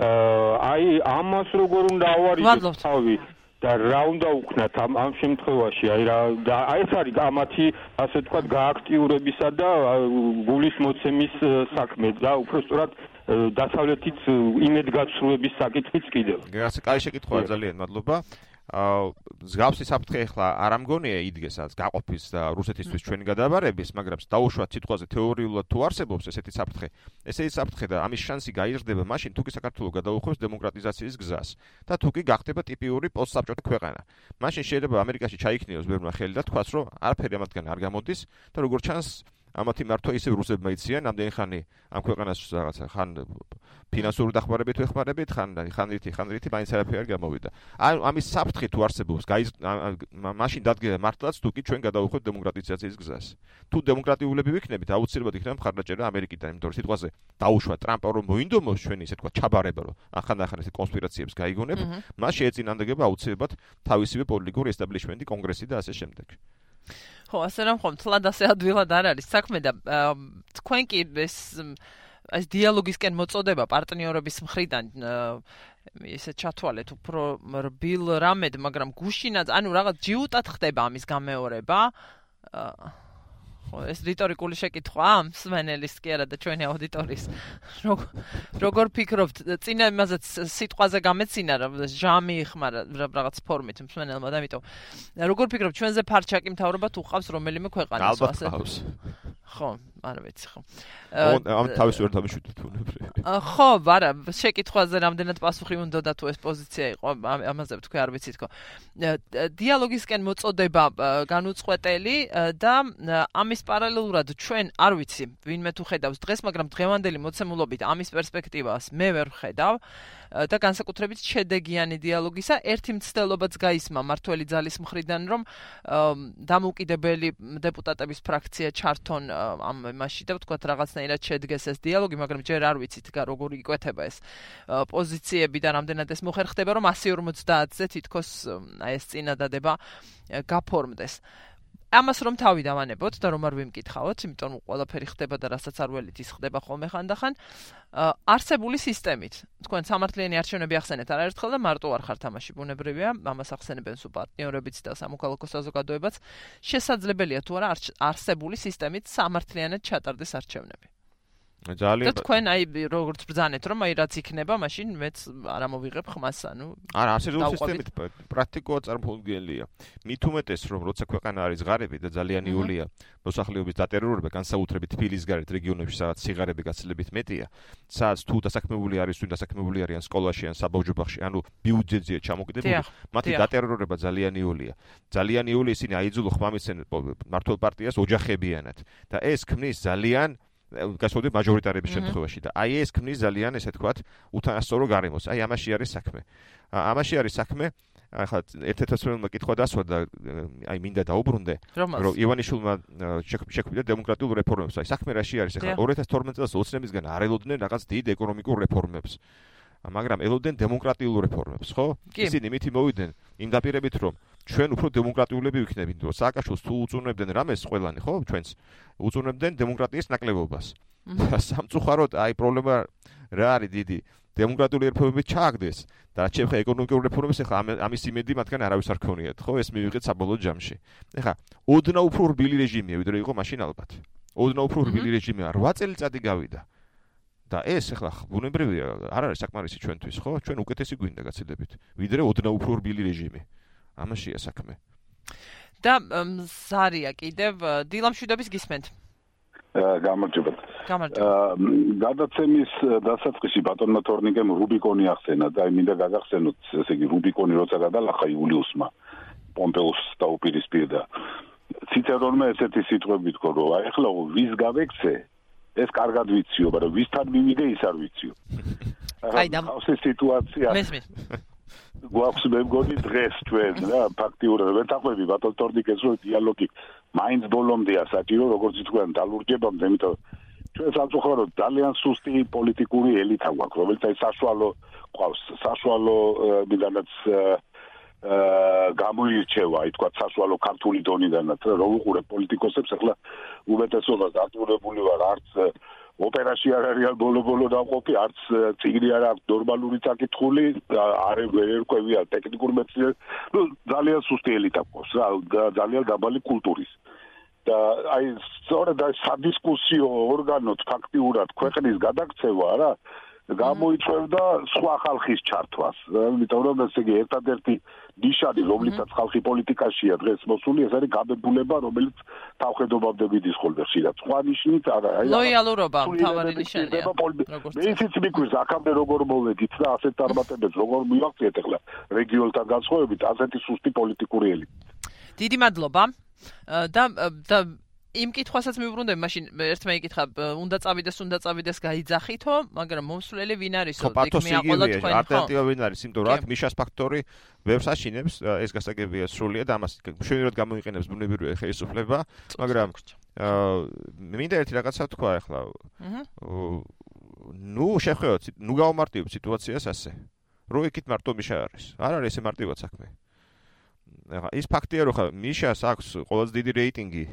[SPEAKER 8] აი ამას როგორ უნდა ავარიდოთ თავი და რა უნდა უქნათ ამ შემთხვევაში აი ეს არის ამათი ასე ვთქვათ გააქტიურებისა და გულის მოცემის საქმე და უბრალოდ დასავლეთის იმედგაცრუების საკითხიც კიდევ.
[SPEAKER 4] გასა კაი შეკითხვაა ძალიან მადლობა. მსგავსი საფრთხე ახლა არ ამგონია იდგესაც გაყოფის და რუსეთისთვის ჩვენი გადაბარების, მაგრამ დაუშვათ სიტყვაზე თეორიულად თუ არსებობს ესეთი საფრთხე. ესეთი საფრთხე და ამის შანსი გაიზრდება მაშინ თუ კი საქართველოს გადაუხვევს დემოკრატიზაციის გზას და თუ კი გახდება ტიპიური პოსტსაბჭოთა ქვეყანა. მაშინ შეიძლება ამერიკაში ჩაიქნიოს ბევრმა ხელი და თქვას რომ არაფერი ამათგან არ გამოდის და როგორც ჩანს ამათი მართვა ისევ რუსებმა იციან, ამდენი ხანი ამ ქვეყანას რაღაცა ხან ფინანსური დახმარებით ვეხმარებით, ხან რითი მაინც არაფერი არ გამოვიდა. ამის საფრთხე თუ არსებობს, მაშინ დადგება მართლაც თუ კი ჩვენ გადავუხვევთ დემოკრატიზაციის გზას. თუ დემოკრატიულები ვიქნებით, აუცილებლად იქნება მხარდაჭერა ამერიკიდან, იმიტომ რომ სიტყვაზე დაუშვა ტრამპა რომ მოინდომოს ჩვენი ისე თქვა ჩაბარება, რომ ახან-ახან ეს კონსპირაციებს გაიგონებ, მას შეეწინანდება აუცილებლად თავისივე პოლიტიკური ესტაბლიშმენტი, კონგრესი და ასე შემდეგ.
[SPEAKER 1] ხო, ასე რომ ხომ თლად ასე ადვილად არ არის საქმე და თქვენ კი ეს დიალოგისკენ მოწოდება პარტნიორების მხრიდან ისე ჩათვალეთ უფრო რბილ რამედ, მაგრამ გუშინაც, ანუ რაღაც ჯიუტად ხდება ამის გამეორება. ხო, ეს რიტორიკული შეკითხვა მსმენელის კი არა და ჩვენი აუდიტორიის. როგორ ფიქრობთ, წინა იმაზეც სიტყვაზე გამეცინა რომ ჟამი იხმარა რაღაც ფორმით მსმენელმა და ამიტომ როგორ ფიქრობთ, ჩვენზე ფარჩაკი მთავრობა თუ ყავს რომელიმე ქვეყანას
[SPEAKER 4] ასე?
[SPEAKER 1] ხო, არ ვიცი ხო.
[SPEAKER 4] ამ თავის ვერ დამიშვიდეთ უნებრივი.
[SPEAKER 1] ხო, არა, შეკითხვაზე რამდენად პასუხი უნდა და თუ ეს პოზიცია იყო, ამაზე თქვი არ ვიცით ხო. დიალოგისკენ მოწოდება განუწყვეტელი და ამის პარალელურად ჩვენ არ ვიცი, ვინმე თუ ხედავს დღეს, მაგრამ დღევანდელი მოცემულობით ამის პერსპექტივას მე ვერ ვხედავ და განსაკუთრებით შედეგიანი დიალოგისა ერთი მცდელობაც გაისმა მართველი ძალის მხრიდან, რომ დამოუკიდებელი დეპუტატების ფრაქცია ჩართონ ამ მასში და ვთქვათ რაღაცნაირად შედგეს ეს დიალოგი, მაგრამ ჯერ არ ვიცით როგორ იკვეთება ეს პოზიციები და რამდენად ეს მოხერხდება, რომ 150-ზე თითქოს ეს წინადადება გაფორმდეს. ამას რომ თავი დავანებოთ და რომ არ ვიმკითხავთ, იმიტომ რომ ყველაფერი ხდება და რასაც არ ველით ის ხდება ხოლმე ხანდახან, არსებული სისტემით. თქვენ სამართლიანი არჩევნები ახსენეთ არაერთხელ და მარტო არ ხართ ამაში ბუნებრივია, ამას ახსენებენ სულ პარტნიორებიც და სამოქალაქო საზოგადოებაც. შესაძლებელია თუ არა არსებული სისტემით სამართლიანად ჩატარდეს არჩევნები.
[SPEAKER 4] ძალიან
[SPEAKER 1] და თქვენ როგორც ბრძანეთ რომ რაც იქნება, მაშინ მეც არ ამოვიღებ ხმას, ანუ
[SPEAKER 4] არა, არსებული სისტემით პრაქტიკულად წარმოუდგენელია. მით უმეტეს რომ როცა ქვეყანა არის ღარიბი და ძალიან იოლია მოსახლეობის დატერორება, განსაკუთრებით თბილის გარეთ რეგიონებში, სადაც სიღარიბე გაცილებით მეტია, სადაც თუ დასაქმებული არის, თუ დასაქმებული არიან სკოლაში ან საბავშვო ბაღში, ანუ ბიუჯეტზეა ჩამოკიდებული, მათი დატერორება ძალიან იოლია. ძალიან იოლია ისინი აიძულო ხმამისცენ მართლ პარტიას ოჯახებიანად და ეს ქმნის ძალიან გასწორებით მაჟორიტარების შემთხვევაში და აი ეს ქმნის ძალიან ესე თქვათ უთანასწორო გარემოს. აი ამაში არის საქმე. ამაში არის საქმე. ახლა ერთ-ერთ სპეციალურმა კითხვა დასვა და აი მინდა დაუბრუნდე, რომ ივანიშვილმა შექმნა დემოკრატიულ რეფორმებს. აი საქმე რაში არის? ახლა 2012 წელს ოცნებისგან არ ელოდნენ რაღაც დიდ ეკონომიკურ რეფორმებს. მაგრამ ელოდნენ დემოკრატიულ რეფორმებს, ხო? ისინი მითი მოვიდნენ იმ დაპირებით, რომ ჩვენ უფრო დემოკრატიულები ვიქნებით, რომ სააკაშვილს თუ უწუნებდნენ რამეს ყველანი, ხო, ჩვენს უწუნებდნენ დემოკრატიის ნაკლებობას. სამწუხაროდ, აი პრობლემა რა არის დიდი, დემოკრატიული რეფორმები ჩააგდეს და რაც შეეხება ეკონომიკურ რეფორმებს, ახლა ამის იმედი მათგან არავის არ ქონიათ, ხო, ეს მივიღეთ საბოლოო ჯამში. ახლა ოდნავ უფრო რბილი რეჟიმია, ვიდრე იყო მაშინ ალბათ. ოდნავ უფრო რბილი რეჟიმია, 8 წელიწადი გავიდა. და ეს ახლა ბუნებრივია, არ არის საკმარისი ჩვენთვის, ხო? ჩვენ უკეთესი გვინდა გაცილებით, ვიდრე ოდნავ უფრო რბილი რეჟიმი. ამაშია საქმე.
[SPEAKER 1] და ზარია კიდევ დილამშვიდობის გისმენთ.
[SPEAKER 6] გამარჯობათ. გადაცემის დასაწყისში ბატონმა თორნიკემ რუბიკონი ახსენა და მინდა გაგახსენოთ, ესე იგი რუბიკონი როცა გადალახა იულიუსმა პომპეუს დაუპირისპირდა. ციცერონმა ესეთი სიტყვები თქვა, რომ აი ახლა ვის გავექცე, ეს კარგად ვიციო, მაგრამ ვისთან მივიდე ის არ ვიციო.
[SPEAKER 1] აი და
[SPEAKER 6] ეს სიტუაცია გვაქვს მე მგონი დღეს ჩვენ რა ფაქტიურად ვეთახვები ბატონ თორნიკეს რომ დიალოგი მაინც ბოლომდეა საჭირო, როგორც თქვენ დალურჯებამდე, იმიტომ ჩვენ სამწუხაროდ ძალიან სუსტი პოლიტიკური ელიტა გვაქვს, რომელიც აი საშუალო ყავს, საშუალო მიდანაც გამოირჩევა, აი თქვა საშუალო ქართული დონიდანაც, რომ უყურებ პოლიტიკოსებს, ახლა უმეტესობა დატურებული ვარ, არც ოპერაში არ არის ბოლო-ბოლო დაყოფი, არც წიგნი არ აქვს ნორმალური საკითხული, არ ერკვევია ტექნიკურ მეცნიერებს, ნუ ძალიან სუსტი ელიტა ყავს რა, ძალიან დაბალი კულტურის. და აი სწორედ აი სადისკუსიო ორგანოდ ფაქტიურად ქვეყნის გადაქცევა რა გამოიწვევდა სხვა ხალხის ჩართვას. იმიტომ რომ ესე იგი ერთადერთი ნიშანი, რომლითაც ხალხი პოლიტიკაშია დღეს მოსული, ეს არის გაბებულება, რომელიც თავხედობამდე მიდის ხოლმე ხშირად. სხვა ნიშნით არა, აი
[SPEAKER 1] ლოიალურობა მთავარი ნიშანია.
[SPEAKER 6] მე ისიც მიგვირს აქამდე როგორ მოვედით და ასეთ წარმატებებს როგორ მივაღწიეთ ახლა რეგიონთან განსხვავებით, ასეთი სუსტი პოლიტიკური ელიტით.
[SPEAKER 1] დიდი მადლობა. და იმ კითხვასაც მივუბრუნდები, მაშინ ერთმა იკითხა, უნდა წავიდეს გაიძახითო, მაგრამ მომსვლელი ვინ არისო?
[SPEAKER 4] იქ მიაყოლა თქვენ, ხო? ალტერნატივა ვინ არის? იმიტომ რომ აქ მიშას ფაქტორი ბევრს აშინებს, ეს გასაგებია სრულიად ამას მშვენივრად გამოიყენებს ბუნებრივი ხელისუფლება, მაგრამ მინდა ერთი რაღაცა თქვა ახლა. შევხედოთ, გავამარტივებ სიტუაციას ასე. რო იქით მარტო მიშა არის. არ არის ესე მარტივად საქმე. ის ფაქტია, რომ ხა მიშას აქვს ყველაზე დიდი რეიტინგი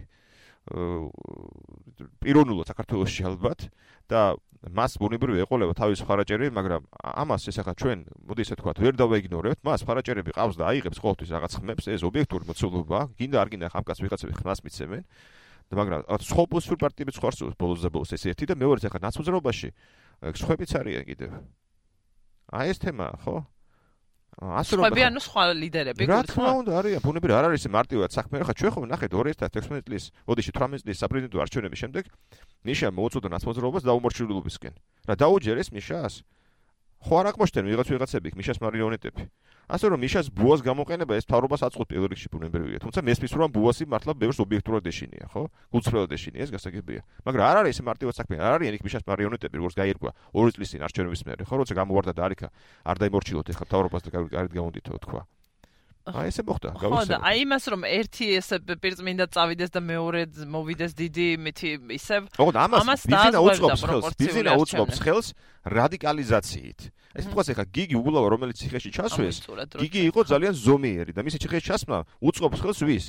[SPEAKER 4] პიროვნულად საქართველოში ალბათ და მას ბუნებრივი ეყოლება თავის ხარაჭერები, მაგრამ ამას ეს ახლა ჩვენ, მოდი ესე თქვა, ვერ დავაიგნორებთ, მას ხარაჭერები ყავს და აიღებს ყოველთვის რაღაც ხმებს, ეს ობიექტური მოცულობაა, გინდა არ გინდა ამ კაცს ვიღაცები ხმას მიცემენ, მაგრამ სხოპოსფურ პარტიებს ხარს ბოლოს და ბოლოს ეს ერთი და მეორეც ახლა ნაცვაზრობაში სხვებიც არიან კიდევ. აი ეს თემაა, ხო?
[SPEAKER 1] სხვები ანუ სხვა ლიდერები
[SPEAKER 4] რა თქმა უნდა არიან, ბუნებრივი არ არის მარტივად საქმე, ხა ჩვენ ხომ ნახეთ 2016 წლის, ოდიში 18 წლის საპრეზიდენტო არჩევნების შემდეგ ნიშა მოუწოდა ნაცვაზრობას დაუმორჩილებულობისკენ. რა დაუჯერეს მიშას? ხო არ აკმოშთენ ვიღაცები მიშას მარიონეტები. ასე რომ მიშას ბუას გამოყენება ეს თავრობას აწყობს პირველ რიგში ბუნებრივია. თუმცა მესმის რომ ბუასი მართლა ბევრს ობიექტურად ეშინია, ხო? გულწრფელად ეშინია, ეს გასაგებია. მაგრამ არ არის ეს მარტივად საქმე, არ არიან იქ მიშას მარიონეტები, როგორც გაირკვა 2 წლის წინ არჩევნების მერე, ხო? როცა გამოვარდა და არიქა არ დაიმორჩილოთ ეხლა თავრობას და გარეთ გამოდითო თქვა. აი ესე მოხდა,
[SPEAKER 1] გავუსწრებ. ხო და აი იმას რომ ერთი ესე პირწმინდა წავიდეს და მეორე მოვიდეს დიდი მითი ისევ
[SPEAKER 4] ამას ბიზნა უწყობს ხელს რადიკალიზაციით. ეს თქვა ეხლა გიგი უგულავა რომელიც ციხეში ჩასვეს, გიგი იყო ძალიან ზომიერი და მისი ციხეში ჩასვლა უწყობს ხელს ვის?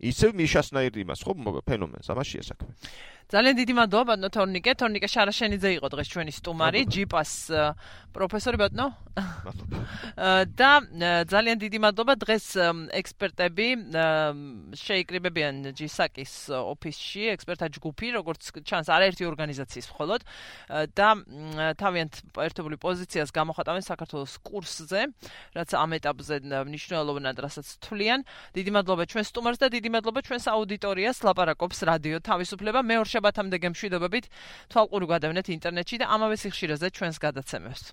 [SPEAKER 4] ისევ მიშასნაირ იმას, ხო, ფენომენს, ამაშია საქმე.
[SPEAKER 1] ძალიან დიდი მადლობა ბატონო თორნიკე. თორნიკე შარაშენიძე იყო დღეს ჩვენი სტუმარი, ჯიპას პროფესორი ბატონო.
[SPEAKER 4] მადლობა.
[SPEAKER 1] და ძალიან დიდი მადლობა დღეს ექსპერტები შეიკრიბებიან ჯისაკის ოფისში, ექსპერტთა ჯგუფი, როგორც ჩანს, არაერთი ორგანიზაციის მხოლოდ და თავიანთ ერთობლივ პოზიციას გამოხატავენ საქართველოს კურსზე, რაც ამ ეტაპზე მნიშვნელოვნად რასაც თვლიან. დიდი მადლობა ჩვენ სტუმარს და დიდი მადლობა ჩვენს აუდიტორიას, ლაპარაკობს რადიო თავისუფლება. მეორე შაბათამდე გემშვიდობებით, თვალყური გადავნეთ ინტერნეტში და ამავე სიხშირეზე ჩვენს გადაცემებს.